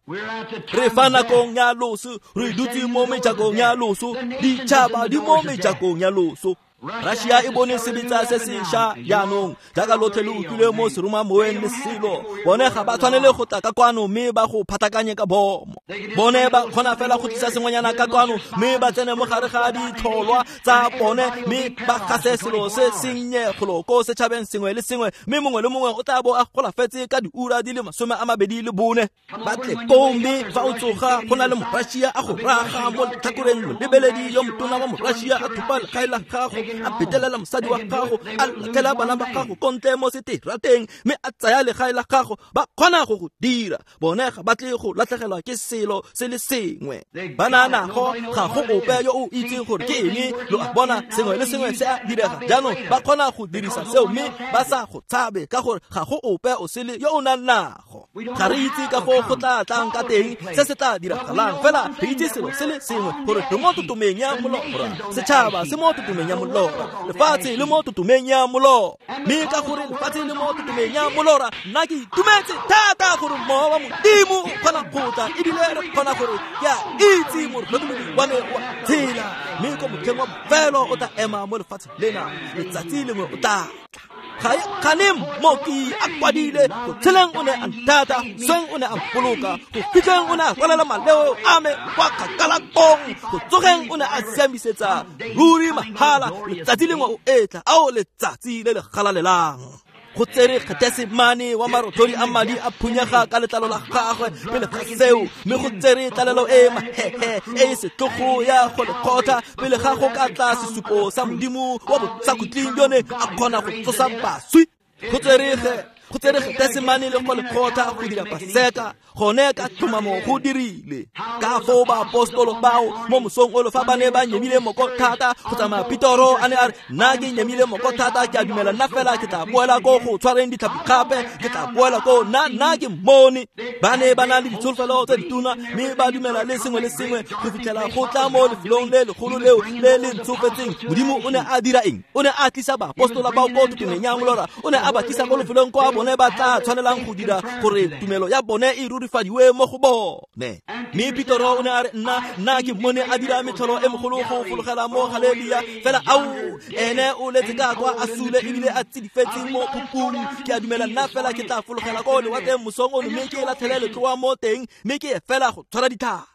Re fa nakong ya loso, re dutse mo mejakong ya loso, ditšhaba di mo mejakong ya loso. Russia e bone sebetsa se sešwa jaanong, jaaka lotlhe le utlwile mo seromamoweng le selo. Bone ga ba tshwanele go tla ka kwano mme ba go phatakanye ka bomo. Bone ba kgona fela go tlisa sengwenyana ka kwano mme ba tsene mo gare ga ditlholwa tsa bone mme ba gase selo se sennye golo ko setšhabeng sengwe le sengwe, mme mongwe le mongwe o tla bo a golafetse ka diura di le masome a mabedi le bone. Ba tle koo, mme fa o tsoga go na le Morussia a go raga mo letlhakoreng, molebeledi yo motona wa Morussia a thopa legae la gago, a betelela mosadi wa gago, a latlhela bana ba gago ko ntle mo seterateng, mme a tsaya legae la gago. Ba kgona go go dira. Bone ga ba tle go latlhegelwa ke selo se le sengwe. Ba na nago, ga go ope yo o itseng gore ke eng. Lo a bona, sengwe le sengwe se a direga. Jaanong ba kgona go dirisa seo mme ba sa go tshabe, ka gore ga go ope o sele yo o nang nago. Ga re itse ka foo go tla tlang ka teng, se se tla diragalang, fela re itse selo se le sengwe, gore re mo totomeng ya molora. Setšhaba se mo totomeng ya molora, lefatshe le mo totomeng ya molora. Mme ka gore lefatshe le mo totomeng ya molora, nna ke itumetse thata gore mowa wa Modimo o kgona go tla, ebile re kgona gore ke a itse motlhokomedi wa me wa tshela, mme ko motlheng wa bofelo o tla ema mo lefatsheng lena, letsatsi lengwe o tla tla. Ga e mmoki a kwadile, go tsheleng o ne a nthata, sweng o ne a mpoloka, go fitlheng o ne a rwalela maleo a me kwa kgakala kong, go tsogeng o ne a siamisetsa ruri mahala. Letsatsi lengwe o etla, ao letsatsi le le galalelang. Go tsere Getesemane wa marothodi a madi a phunyega ka letlalo la gagwe pele ga seo, mme go tsere tlalelo e mahehe e e setlogo ya go lekgotla pele ga go ka tla sesupo sa Modimo wa bosakhutleng yone a kgona go tsosa baswi. Go tsere go tsere Getesemane le go lekgotla go dira Paseka, gone ka tlhomamo go dirile. Ka foo baapostolo bao mo mosong ono fa ba ne ba nyemile moko thata go tsamaya, Petoro a ne a re, nna ke nyemile moko thata, ke a dumela nna fela ke tla boela ko go tshwareng ditlhapi gape, ke tla boela ko nna nna ke mmone. Ba ne ba na le ditsholofelo tse ditona mme ba dumela le sengwe le sengwe go fitlhela go tla mo lefelong le legolo leo le le ntshofetseng. Modimo o ne a dira eng? O ne a tlisa baapostola bao ko totomeng ya molora, o ne a ba tlisa ko lefelong kwa bone ba tla tshwanelang go dira gore tumelo ya bone e rurifadiwe mo go bone. Mme Petoro o ne a re, nna nna ke mmone a dira metlholo e mogolo go fologela mo Galelia, fela ao ene o letse ka kwa a sule ebile a tsidifetse mo phupung. Ke a dumela nna fela ke tla fologela ko lewatleng mosong ono mme ke latlhele letloa mo teng mme ke ye fela go tshwara ditlhapi.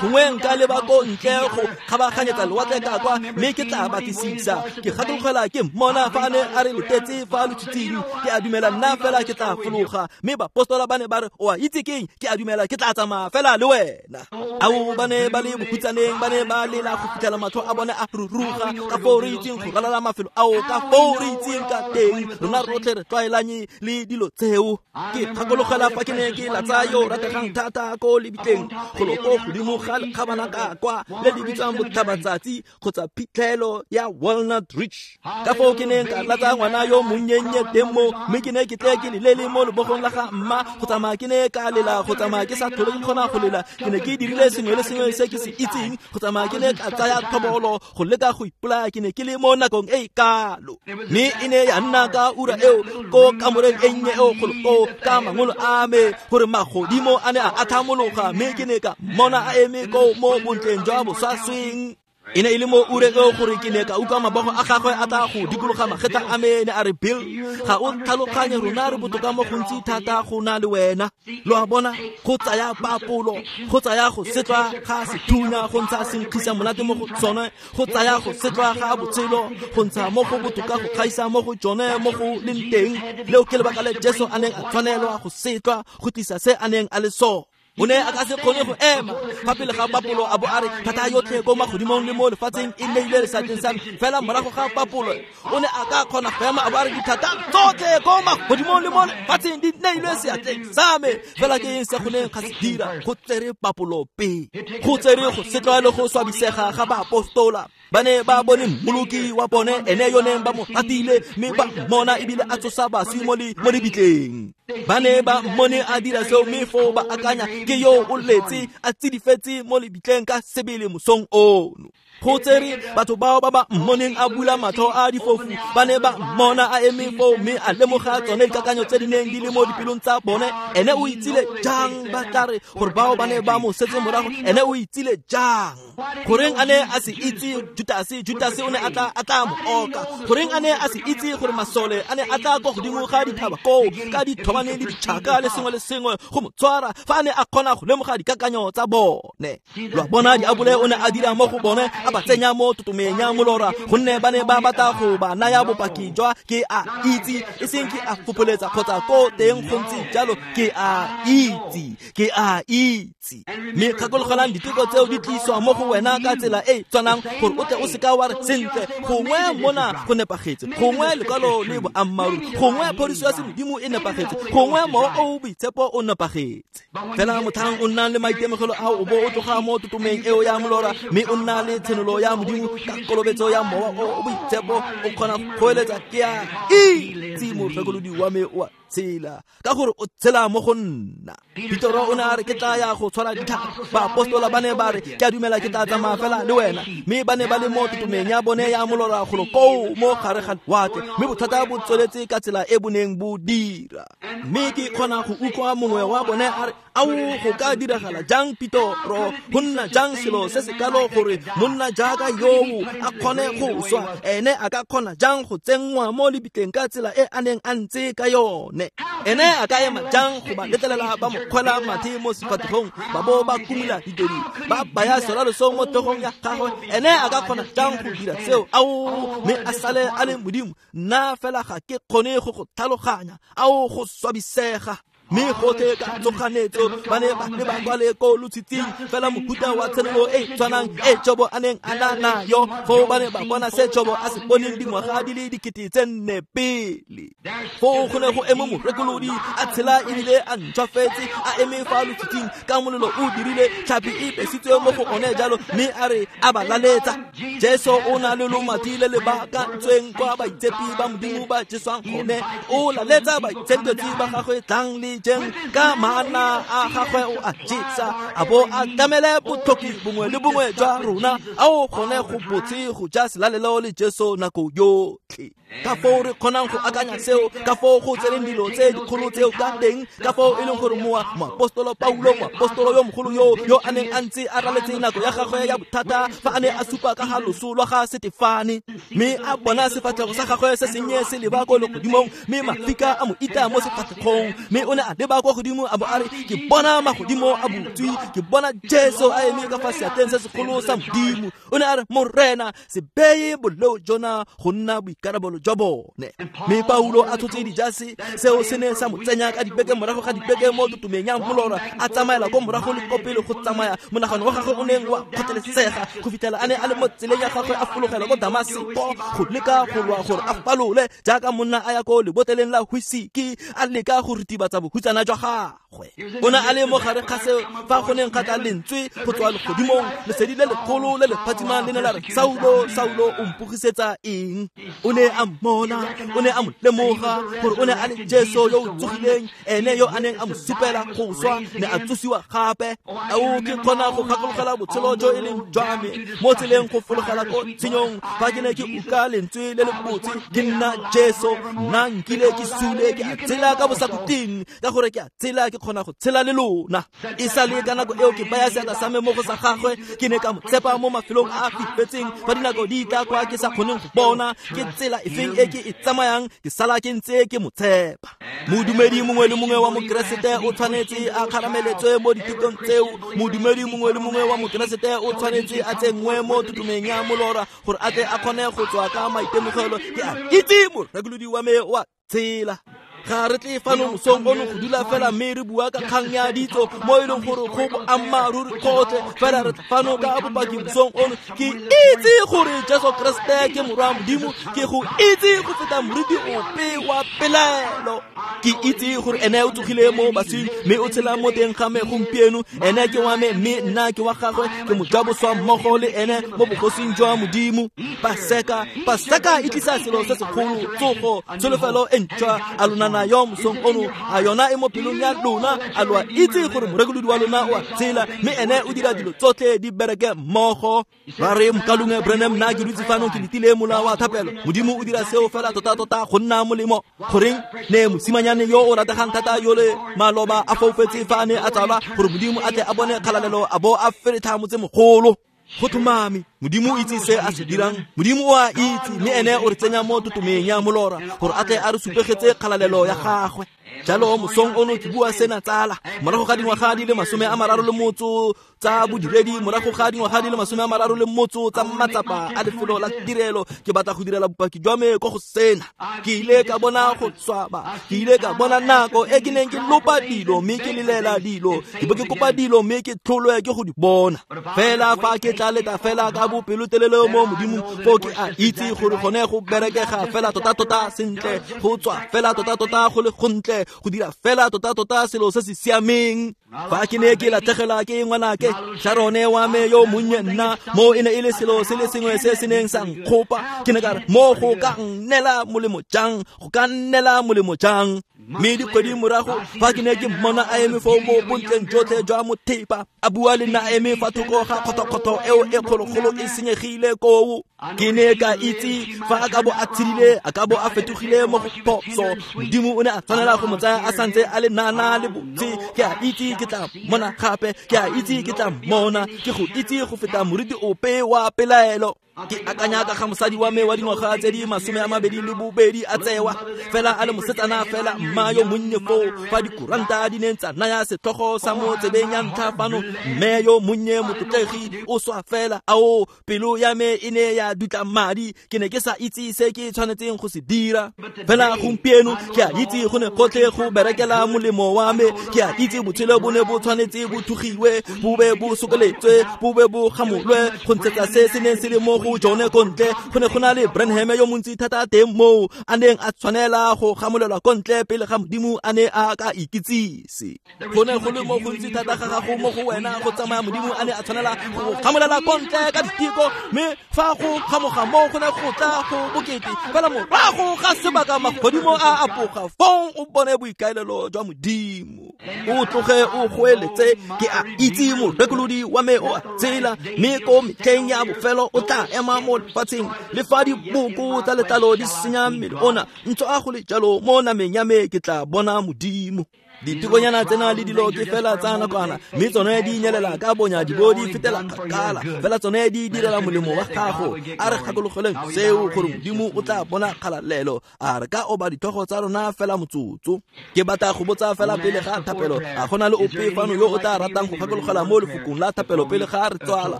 Gongwe nka leba ko ntle go kgabaganyetsa lewatle ka kwa mme ke tla batlisisa. Ke gakologela ke mmona fa a ne a re letetse fa lotshitshing, ke a dumela nna fela ke tla fologa. Mme baapostola ba ne ba re, o a itse keng? Ke a dumela ke tla tsamaya fela le wena. Ao ba ne ba le bokhutsaneng, ba ne ba lela go fitlhela matlho a bone a ruruga. Ka foo re itseng go ralala mafelo ao, ka foo re itseng ka teng, rona rotlhe re tlwaelanye le dilo tseo. Ke gakologela fa ke ne ke latsa yo rategang thata ko lebitleng golo ko godimo ga lekgabana ka kwa le le bitswang Botlhabatsatsi kgotsa phitlhelo ya Walnut Ridge. Ka foo ke neng ka latsa ngwana yo monnye teng mo, mme ke ne ke tle ke lelele mo lebogong la ga mma go tsamaya ke ne ka lela, go tsamaya ke sa tlhole ke kgona go lela. Ke ne ke dirile sengwe le sengwe se ke se itseng, go tsamaya ke ne ka tsaya thobolo go leka go ipolaya. Ke ne ke le mo nakong e e kalo, mme e ne ya nna ka ura eo ko kamoreng e nnye eo kgolo ko ka mangolo a me gore magodimo a ne a athamologa, mme ke ne ka mmona a eme ko mo bontleng jwa boswasweng. E ne e le mo ureng eo gore ke ne ka utlwa mabogo a gagwe a tla go dikologa magetla a me, ne a re, Bill, ga o tlhaloganye, rona re botoka mo gontsi thata go na le wena. Lo a bona, go tsaya papolo, go tsaya go setlwa ga sethunya go ntsha senkgisa monate mo go tsone, go tsaya go setlwa ga botshelo go ntsha mo go botoka go gaisa mo go tsone mo go leng teng. Leo ke lebaka le Jesu a neng a tshwanelwa go setlwa go tlisa se a neng a le sone. O ne a ka se kgone go ema fa pele ga papolo a bo a re, thata yotlhe ko magodimong le mo lefatsheng e neilwe seatleng sa me. Fela morago ga papolo o ne a ka kgona go ema a bo a re, dithata tsotlhe ko magodimong le mo lefatsheng di neilwe seatleng sa me. Fela ke eng se go neng ga se dira? Go tsere papolo pele, go tsere go setlwa le go swabisega ga baapostola. Ba ne ba bone mmoloki wa bone, ene yo neng ba mo ratile, mme ba mmona ebile a tsosa baswi mo lebitleng. Ba ne ba mmone a dira seo, mme foo ba akanya ke yo o letse a tsidifetse mo lebitleng ka sebele mosong ono. Go tsere batho bao ba ba mmoneng a bula matlho a difofu, ba ne ba mmona a eme foo mme a lemoga tsone dikakanyo tse di neng di le mo dipelong tsa bone. Ene o itsile jang ba tla re gore bao ba ne ba mo setse morago? Ene o itsile jang? Goreng a ne a se itse Judase? Judase o ne a tla a tla mo oka. Goreng a ne a se itse gore masole a ne a tla kwa godimo ga dithaba koo ka dithobane le ditšhaka le sengwe le sengwe go mo tshwara, fa a ne a kgona go lemoga dikakanyo tsa bone? Lo a bona, diabole o ne a dira mo go bone, a ba tsenya mo totomeng ya molora, gonne ba ne ba batla go ba naya bopaki jwa ke a itse, e seng ke a fopholetsa kgotsa ko teng go ntse jalo, ke a itse, ke a itse. Mme gakologelang, diteko tseo di tliswa mo go wena ka tsela e tshwanang gore o tle o seka wa re, sentle, gongwe mona go nepagetse, gongwe lekwalo le boammaaruri, gongwe phodiso ya semodimo e nepagetse, gongwe mowa o o boitshepo o nepagetse. Fela motlhang o nnang le maitemogelo ao, o bo o tloga mo totomeng eo ya molora mme o nna le tshenolo ya Modimo ka kolobetso ya mowa o o boitshepo, o kgona go eletsa, ke a itse morekolodi wa me o a tshela, ka gore o tshela mo go nna. Petoro o ne a re, ke tla ya go tshwara ditlhapi. Baapostola ba ne ba re, ke a dumela ke tla tsamaya fela le wena. Mme ba ne ba le mo totomeng ya bone ya molora golo koo mo gare ga lewatle, mme bothata bo tsweletse ka tsela e bo neng bo dira. Mme ke kgona go utlwa mongwe wa bone a re, Ao go ka diragala jang Pitoro go nna jang selo se se kalo gore monna jaaka yoo a kgone go swa? Ene a ka kgona jang go tsenngwa mo lebitleng ka tsela e a neng a ntse ka yone? Ene a ka ema jang go ba letlelela ba mo kgwela mathe mo sefatlhegong ba bo ba kumula ditedu ba baya serwalo mo tlhogong ya gagwe? Ene a ka kgona jang go dira seo? Ao, mme a sale a le Modimo. Nna fela ga ke kgone go go tlhaloganya. Ao, go swabisega. Mme gotlhe ka tsoganetso ba ne ba leba kwa le ko lotshitshing fela mohuta wa tshenolo e tshwanang e Jobo a neng a na nayo. Foo ba ne ba bona se Jobo a se boneng dingwaga di le dikete tse nne pele. Foo go ne go eme morekolodi a tshela ebile a ntšhwafetse, a eme fa lotshitshing ka molelo o dirile tlhapi e besitswe mo go one jalo, mme a re a ba laletsa. Jesu o na le lomati le le baakantsweng kwa baitshepi ba Modimo ba jeswang gone. O laletsa baitshenketswi ba gagwe, tlang le jeng ka maana a gagwe o a jesa, a bo a tlamele botlhoki bongwe le bongwe jwa rona. Ao gone go botse go ja selalelo le Jesu nako yotlhe. Ka foo re kgonang go akanya seo, ka foo go tseneng dilo tse dikgolo tseo ka teng, ka foo e leng gore moa moapostolo Paulo, moapostolo yo mogolo yo yo a neng a ntse a raletse nako ya gagwe ya bothata fa a ne a supa ka ga loso lwa ga Setefane, mme a bona sefatlhego sa gagwe se sennye se leba ko legodimong, mme mafika a mo ita mo sefatlhegong, mme o ne a leba kwa godimo a bo a re, ke bona magodimo a butswe, ke bona Jesu a eme ka fa seatleng se segolo sa Modimo. O ne a re, Morena, se beye boleo jona go nna boikarabelo jwa bone. Mme Paulo a tshotse dijase, seo se ne sa mo tsenya ka dibeke morago ga dibeke mo totomeng ya molora, a tsamaela ko morago le ko pele go tsamaya monagano wa gagwe o neng wa kgotlelesega go fitlhela a ne a le mo tseleng ya gagwe a fologela ko Damaseko go leka go lwa gore a falole jaaka monna a ya ko lebotleleng la whisky a leka go ritibatsa bohutsana jwa gagwe. O ne a le mo gare ga seo fa go neng ga tla lentswe go tswa legodimong, lesedi le legolo le le phatsimang le ne la re, Saulo, Saulo, o mpogisetsa eng? O ne a mmona, o ne a mo lemoga gore o ne a le Jesu yo o tsogileng, ene yo a neng a mo supela go swa, ne a tsosiwa gape. Ao, ke kgona go gakologela botshelo jo e leng jwa me mo tseleng go fologela ko tshenyong fa ke ne ke utlwa lentswe le le botse, ke nna Jesu, nna nkile ke sule, ke a tshela ka bosakhutleng, ka gore ke a tshela ke kgona go tshela le lona. E sa le ka nako eo ke baya seatla sa me mo go sa gagwe, ke ne ka mo tshepa mo mafelong a a fifetseng fa dinako di tla kwa ke sa kgoneng go bona ke tsela efeng e ke e tsamayang, ke sala ke ntse ke mo tshepa. Modumedi mongwe le mongwe wa mokeresete o tshwanetse a kgarameletswe mo dithutong tseo. Modumedi mongwe le mongwe wa mokeresete o tshwanetse a tsenngwe mo totomeng ya molora gore a tle a kgone go tswa ka maitemogelo. Ke a itse morekolodi wa me wa tshela. Ga re tle fano mosong ono go dula fela mme re bua ka kgang ya ditso mo e leng gore go boammaaruri gotlhe, fela re tla fano ka bopaki mosong ono. Ke itse gore Jesu Keresete ke morwa Modimo, ke go itse go feta moriti ope wa pelaelo. Ke itse gore ene o tsogile mo baswing mme o tshela mo teng ga me gompieno. Ene ke wa me mme nna ke wa gagwe, ke mojaboswa mmogo le ene mo bogosing jwa Modimo. Paseka, Paseka e tlisa selo se segolo, tsogo, tsholofelo e ntšhwa. A lona nayo mosong ono, a yona e mo pelong ya lona? A lo a itse gore morekolodi wa lona o a tshela, mme ene o dira dilo tsotlhe di bereke mmogo? Ba re, mokalongwe Branham, nna ke dutse fano ke letile mola wa thapelo. Modimo o dira seo fela tota-tota go nna molemo. Goreng ne mosimanyane yo o rategang thata yo le maloba a foufetse fa a ne a tsalwa, gore Modimo a tle a bone kgalalelo a bo a feretlha motsemogolo. Go tlhomame, Modimo o itse se a se dirang. Modimo o a itse, mme ene o re tsenya mo totomeng ya molora gore a tle a re supegetse kgalalelo ya gagwe. Jalo mosong ono ke bua sena tsala, morago ga dingwaga di le masome a mararo le motso tsa bodiredi, morago ga dingwaga di le masome a mararo le motso tsa matsapa a lefelo la tirelo, ke batla go direla bopaki jwa me ko go sena. Ke ile ka bona go swaba, ke ile ka bona nako e ke neng ke lopa dilo mme ke lelela dilo, ke bo ke kopa dilo mme ke tlholwe ke go di bona. Fela fa ke tla leta fela ka bopelotelele mo Modimong, foo ke a itse gore gone go berekega fela tota-tota sentle, go tswa fela tota-tota go le gontle, go dira fela tota-tota selo se se siameng. Fa ke ne ke latlhegelwa ke ngwanake Sharone wa me yo monnye, nna mo e ne e le selo se le sengwe se se neng sa nkgopa. Ke ne ka re, mo go ka nnela molemo jang? Go ka nnela molemo jang? Mme dikgwedi morago fa ke ne ke mmona a eme foo mo bontleng jotlhe jwa mothepa a bua le nna a eme fa thoko ga kgothokgotho eo e kgologolo e senyegile koo. Ke ne ka itse fa a ka bo a tshedile a ka bo a fetogile mo go phoso. Modimo o ne a tshwanela go mo tsaya a santse a le nana le botse. Ke a itse ke tla mmona gape, ke a itse ke tla mmona, ke go itse go feta moriti ope wa pelaelo. Ke akanya ka ga mosadi wa me wa dingwaga tse di masome a mabedi le bobedi a tsewa fela a le mosetsana fela mma yo monnye foo fa dikuranta di neng tsa naya setlhogo sa mo tsebeng ya ntlha fano, mme yo monnye motlotlegi o swa fela. Ao, pelo ya me e ne ya dutla madi, ke ne ke sa itse se ke tshwanetseng go se dira. Fela gompieno ke a itse go ne gotlhe go berekela molemo wa me. Ke a itse botshelo bo ne bo tshwanetse bo thugiwe, bo be bo sokoletswe, bo be bo gamolwe go ntshetsa se se neng se le mo go jone ko ntle. Go ne go na le Branham yo montsi thata teng moo a neng a tshwanela go gamolelwa ko ntle pele ga Modimo a ne a ka ikitsise. Go ne go le mo gontsi thata ga gago mo go wena go tsamaya Modimo a ne a tshwanela go gamolela ko ntle ka diteko, mme fa go gamoga mo go ne go tla go bokete fela morago ga sebaka magodimo a apoga, fong o bone boikaelelo jwa Modimo. O tloge o goeletse, ke a itse morekolodi wa me o a tsela, mme ko metlheng ya bofelo o tla ema mo lefatsheng. Le fa diboko tsa letlalo di senya mmele ona, ntho a go le jalo mo nameng ya me ke tla bona Modimo. Ditikonyana tsena le dilo ke fela tsa nakwana, mme tsone di nyelela ka bonya di bo di fetela kgakala, fela tsone di direla molemo wa gago. A re gakologeleng seo gore Modimo o tla bona kgalalelo. A re ka oba ditlhogo tsa rona fela motsotso. Ke batla go botsa fela pele ga thapelo, a gona le ope fano yo o tla ratang go gakologela mo lefokong la thapelo pele ga re tswala?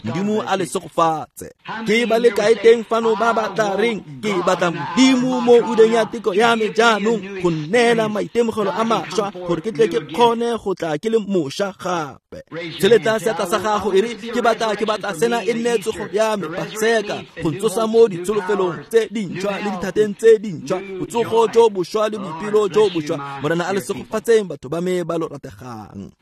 Modimo a le segofatse. Ke ba le kae teng fano ba ba tla reng ke batla Modimo mo ureng ya teko ya me jaanong go nneela maitemogelo a mašwa gore ke tle ke kgone go tla ke le mošwa gape? Tsheletsa seatla sa gago e re ke batla ke batla sena e nne tsogo ya me Paseka, go ntsosa mo ditsholofelong tse dintšhwa le dithateng tse dintšhwa, botsogo jo bošwa le boipelo jo bošwa. Morena a le segofatseng batho ba me ba lo rategang.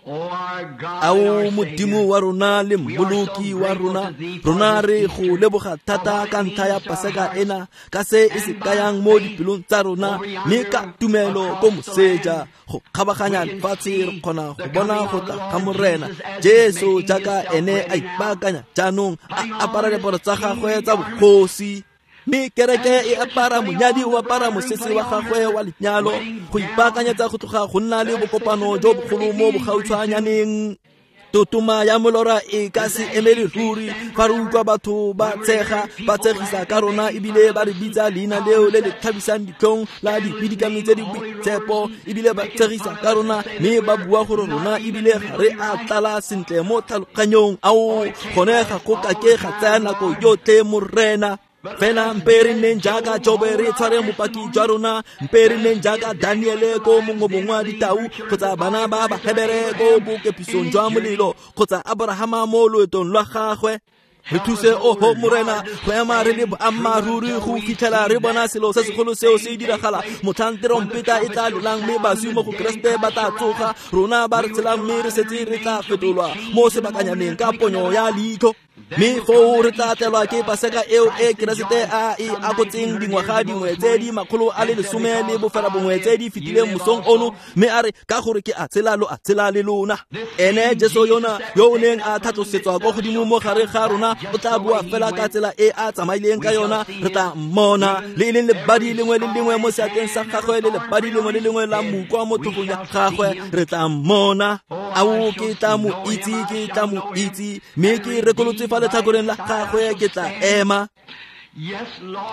Ao Modimo wa rona le Mmoloki wa rona, rona re go leboga thata ka ntlha ya Paseka ena, ka se e se kayang mo dipelong tsa rona, mme ka tumelo ko moseja go kgabaganya lefatshe re kgona go bona go tla ga Morena Jesu jaaka ene a ipaakanya jaanong a apara diaparo tsa gagwe tsa bogosi. Mme kereke e apara monyadi o apara mosese wa gagwe wa lenyalo go ipaakanyetsa go tloga go nna le bokopano jo bogolo mo bogautshwanyaneng. Totoma ya molora e ka se emele ruri fa re utlwa batho ba tshega ba tshegisa ka rona ebile ba re bitsa leina leo le le tlhabisang ditlhong la dipidikami tse di boitshepo, ebile ba tshegisa ka rona mme ba bua gore rona ebile ga re a tlala sentle mo tlhaloganyong. Ao, gone ga go kake ga tsaya nako yotlhe Morena. Fela mpe re nneng jaaka Jobe re tshware bopaki jwa rona, mpe re nneng jaaka Daniele ko mongobong wa ditau, kgotsa bana ba Bahebere ko bokepisong jwa molelo, kgotsa Abrahama mo loetong lwa gagwe. Re thuse oho Morena go ema re le boammaaruri go fitlhela re bona selo se segolo seo se diragala, motlhang terompeta e tla lelang mme baswi mo go Keresete ba tla tsoga, rona ba re tshelang mme re setse re tla fetolwa mo sebakanyaneng ka ponyo ya leitlho. Mme foo re tla tlelwa ke Paseka eo e Keresete a e akotseng dingwaga dingwe tse di makgolo a le lesome le bofela bongwe tse di fetileng mosong ono, mme a re ka gore ke a tshela lo a tshela le lona. Ene Jesu yona yo o neng a tlhatlosetswa ko godimo mo gare ga rona o tla bua fela ka tsela e a tsamaileng ka yona. Re tla mmona le e leng lebadi lengwe le lengwe mo seatleng sa gagwe le lebadi lengwe le lengwe la mokwa mo thokong ya gagwe. Re tla mmona. Ao, ke tla mo itse, ke tla mo itse, mme ke rekolotse fa letlhakoreng la gagwe ke tla ema.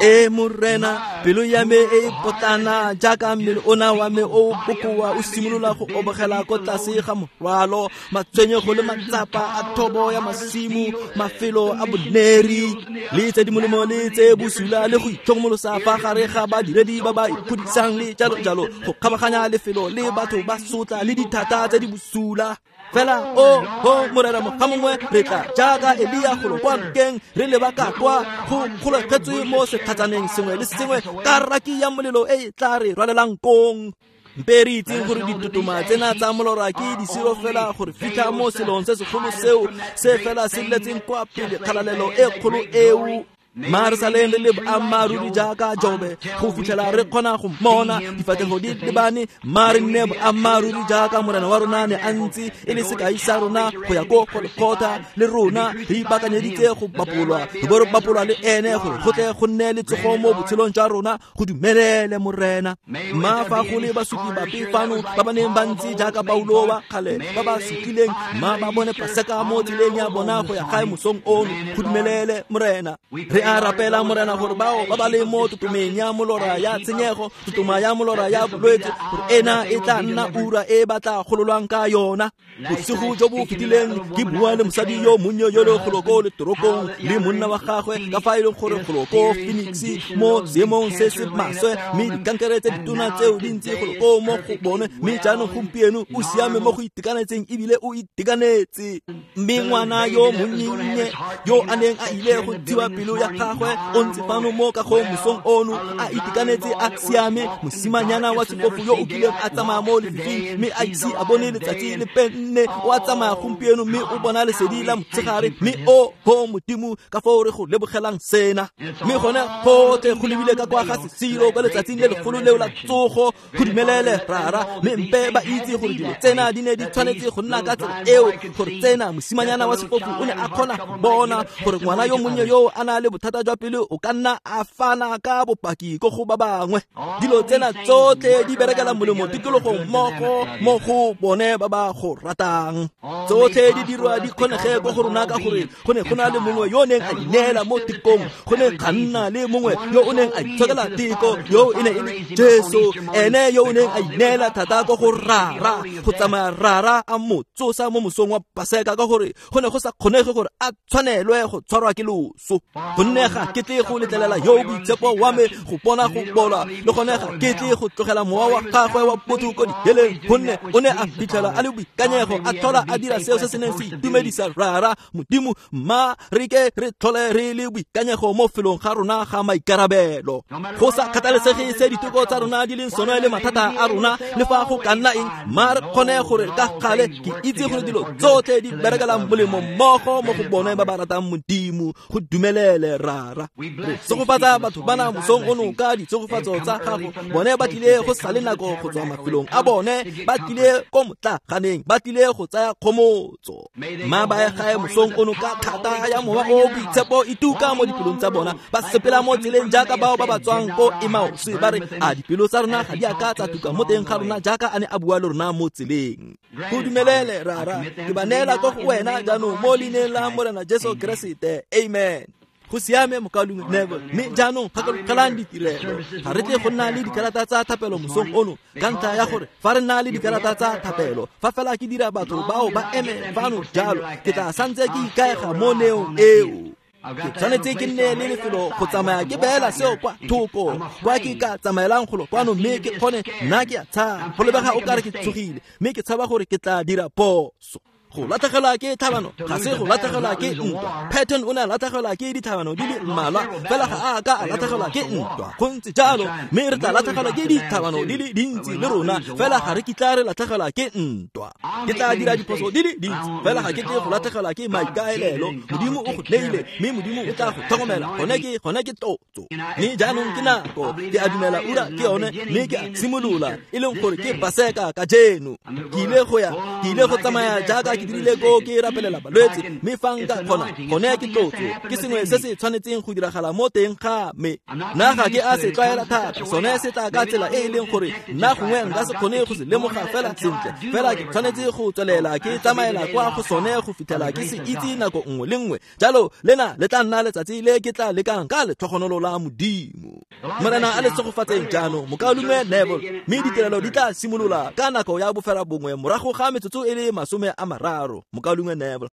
E Morena, pelo ya me e potlana jaaka mmele ona wa me o bokoa o simolola go obogela ko tlase ga morwalo, matshwenyego le matsapa a thobo ya masimo, mafelo a boneri le tse di molemo le tse bosula, le go itlhokomolosa fa gare ga badiredi ba ba ikgodisang le jalo jalo, go kgabaganya lefelo le batho ba sotla le dithata tse di bosula. Fela o ho Morena moga mongwe re tla jaaka Elia golo kwa nokeng re leba ka kwa go golegetswe mo setlhatsaneng sengwe le sengwe ka raki ya molelo e e tla re rwalelang kong. Mpe re itseng gore ditotoma tsena tsa molora ke disiro fela gore fitlha mo selong se segolo seo se fela se letseng kwa pele kgalalelo e kgolo eo. Mma re saleng re le boammaaruri jaaka Jobe go fitlhela re kgona go mmona difatlhego di lebane. Mma re nne boammaaruri jaaka Morena wa rona ne a ntse e le sekai sa rona go ya ko Golgotha, le rona re ipaakanyeditse go bapolwa, re bo re bapolwa le ene gore go tle go nne le tsogo mo botshelong jwa rona. Go dumelele Morena. Mma fa go le basupi bape fano ba ba neng ba ntse jaaka Paulo wa kgale ba ba sutlileng, mma ba bone Paseka mo tseleng ya bona go ya gae mosong ono. Go dumelele Morena. Re a rapela Morena gore bao ba ba leng mo totomeng ya molora ya tshenyego, totoma ya molora ya bolwetse, gore ena e tla nna ura e ba tla gololwang ka yona. Bosigo jo bo fetileng ke bua le mosadi yo monnye yo le golo ko letorokong le monna wa gagwe, ka fa e leng gore golo ko Phoenix mo seemong se se maswe, mme dikankere tse ditona tseo di ntse golo ko mo go bone, mme jaanong gompieno o siame mo go itekanetseng ebile o itekanetse. Mme ngwana yo monnye yo a neng a ile go thiba pelo ya gagwe o ntse fano mo kagong mosong ono a itekanetse a siame, mosimanyana wa sefofu yo o kileng a tsamaya mo lefifing mme a ise a bone letsatsi le penne, o a tsamaya gompieno mme o bona lesedi la motshegare. Mme o ho Modimo, ka foo re go lebogelang sena. Mme gone gotlhe go lebile ka kwa ga sesiro kwa letsatsing le legolo leo la tsogo. Go dumelele Rara, mme mpe ba itse gore dilo tsena di ne di tshwanetse go nna ka tsela eo, gore tsena mosimanyana wa sefofu o ne a kgona go bona, gore ngwana yo monnye yo a na le bothata jwa pelo o ka nna a fana ka bopaki ko go ba bangwe. Dilo tsena tsotlhe di berekela molemo tikologong mmogo mo go bone ba ba go ratang. Tsotlhe di dirwa di kgonege ko go rona ka gore go ne go na le mongwe yo o neng a ineela mo tekong, go ne ga nna le mongwe yo o neng a itshokela teko, yo e ne e le Jesu, ene yo o neng a ineela thata ko go Rara, go tsamaya Rara a mo tsosa mo mosong wa Paseka, ka gore go ne go sa kgonege gore a tshwanelwe go tshwarwa ke loso. Gonne ga ke tle go letlelela yo boitshepo wa me go bona go bola, le gone ga ke tle go tlogela mowa wa gagwe wa botho ko diheleng, gonne o ne a fitlhela a le boikanyego, a tlhola a dira seo se se neng se itumedisa Rara Modimo. Mma re ke re tlhole re le boikanyego mo felong ga rona ga maikarabelo, go sa kgathalesege se diteko tsa rona di leng sone le mathata a rona, le fa go ka nna eng, mma re kgone gore ka gale ke itse gore dilo tsotlhe di berekela molemo mmogo mo go bone ba ba ratang Modimo. Go dumelele Rara. Re segofatsa batho bana mosong ono ka ditshegofatso tsa gago. Bone ba tlile go sa le nako go tswa mafelong a bone, ba tlile ko motlaganeng, ba tlile go tsaya kgomotso. Mma ba ye gae mosong ono ka thata ya mowa o boitshepo e tuka mo dipelong tsa bona, ba sepela mo tseleng jaaka bao ba ba tswang ko Emmaus, ba re a dipelo tsa rona ga di a ka tsa tuka mo teng ga rona jaaka a ne a bua le rona mo tseleng. Go dumelele Rara, ke ba neela ko go wena jaanong mo leineng la Morena Jesu Keresete, amen. Go siame mokaulengwe Neville. Mme jaanong gakologelang ditirelo. Ga re tle go nna le dikarata tsa thapelo mosong ono, ka ntlha ya gore fa re nna le dikarata tsa thapelo, fa fela ke dira batho bao ba eme fano jalo, ke tla santse ke ikaega mo neong eo. Ke tshwanetse ke nne le lefelo go tsamaya ke beela seo kwa thoko, kwa ke ka tsamaelang golo kwano, mme ke kgone nna ke a tshaba. Go lebega o kare ke tshogile, mme ke tshaba gore ke tla dira phoso. Go latlhegelwa ke tlhabano ga se go latlhegelwa ke ntwa. Patton o ne a latlhegelwa ke ditlhabano di le mmalwa, fela ga a ka a latlhegelwa ke ntwa. Go ntse jalo, mme re tla latlhegelwa ke ditlhabano di le dintsi le rona, fela ga re kitla re latlhegelwa ke ntwa. Ke tla dira diphoso di le dintsi, fela ga ke tle go latlhegelwa ke maikaelelo. Modimo o go neile, mme Modimo o tla go tlhokomela. Gone ke gone ke tlotso. Mme jaanong ke nako, ke a dumela ura ke yone, mme ke a simolola, e leng gore ke Paseka kajeno. Ke ile go ya, ke ile go tsamaya jaaka ke dirile ko ke rapelela balwetse, mme fa nka kgona, gone ke tlotso. Ke sengwe se se tshwanetseng go diragala mo teng ga me. Nna ga ke a se tlwaela thata, sone se tla ka tsela e e leng gore nna gongwe nka se kgone go se lemoga fela sentle, fela ke tshwanetse go tswelela ke tsamaela kwa go sone go fitlhela ke se itse nako nngwe le nngwe. Jalo lena le tla nna letsatsi le ke tla lekang ka letlhogonolo la Modimo. Morena a le tshegofatseng jaanong mokaulengwe Neville, mme ditirelo di tla simolola ka nako ya bofera bongwe morago ga metsotso e le masome a mararo. Mokaulengwe Neville.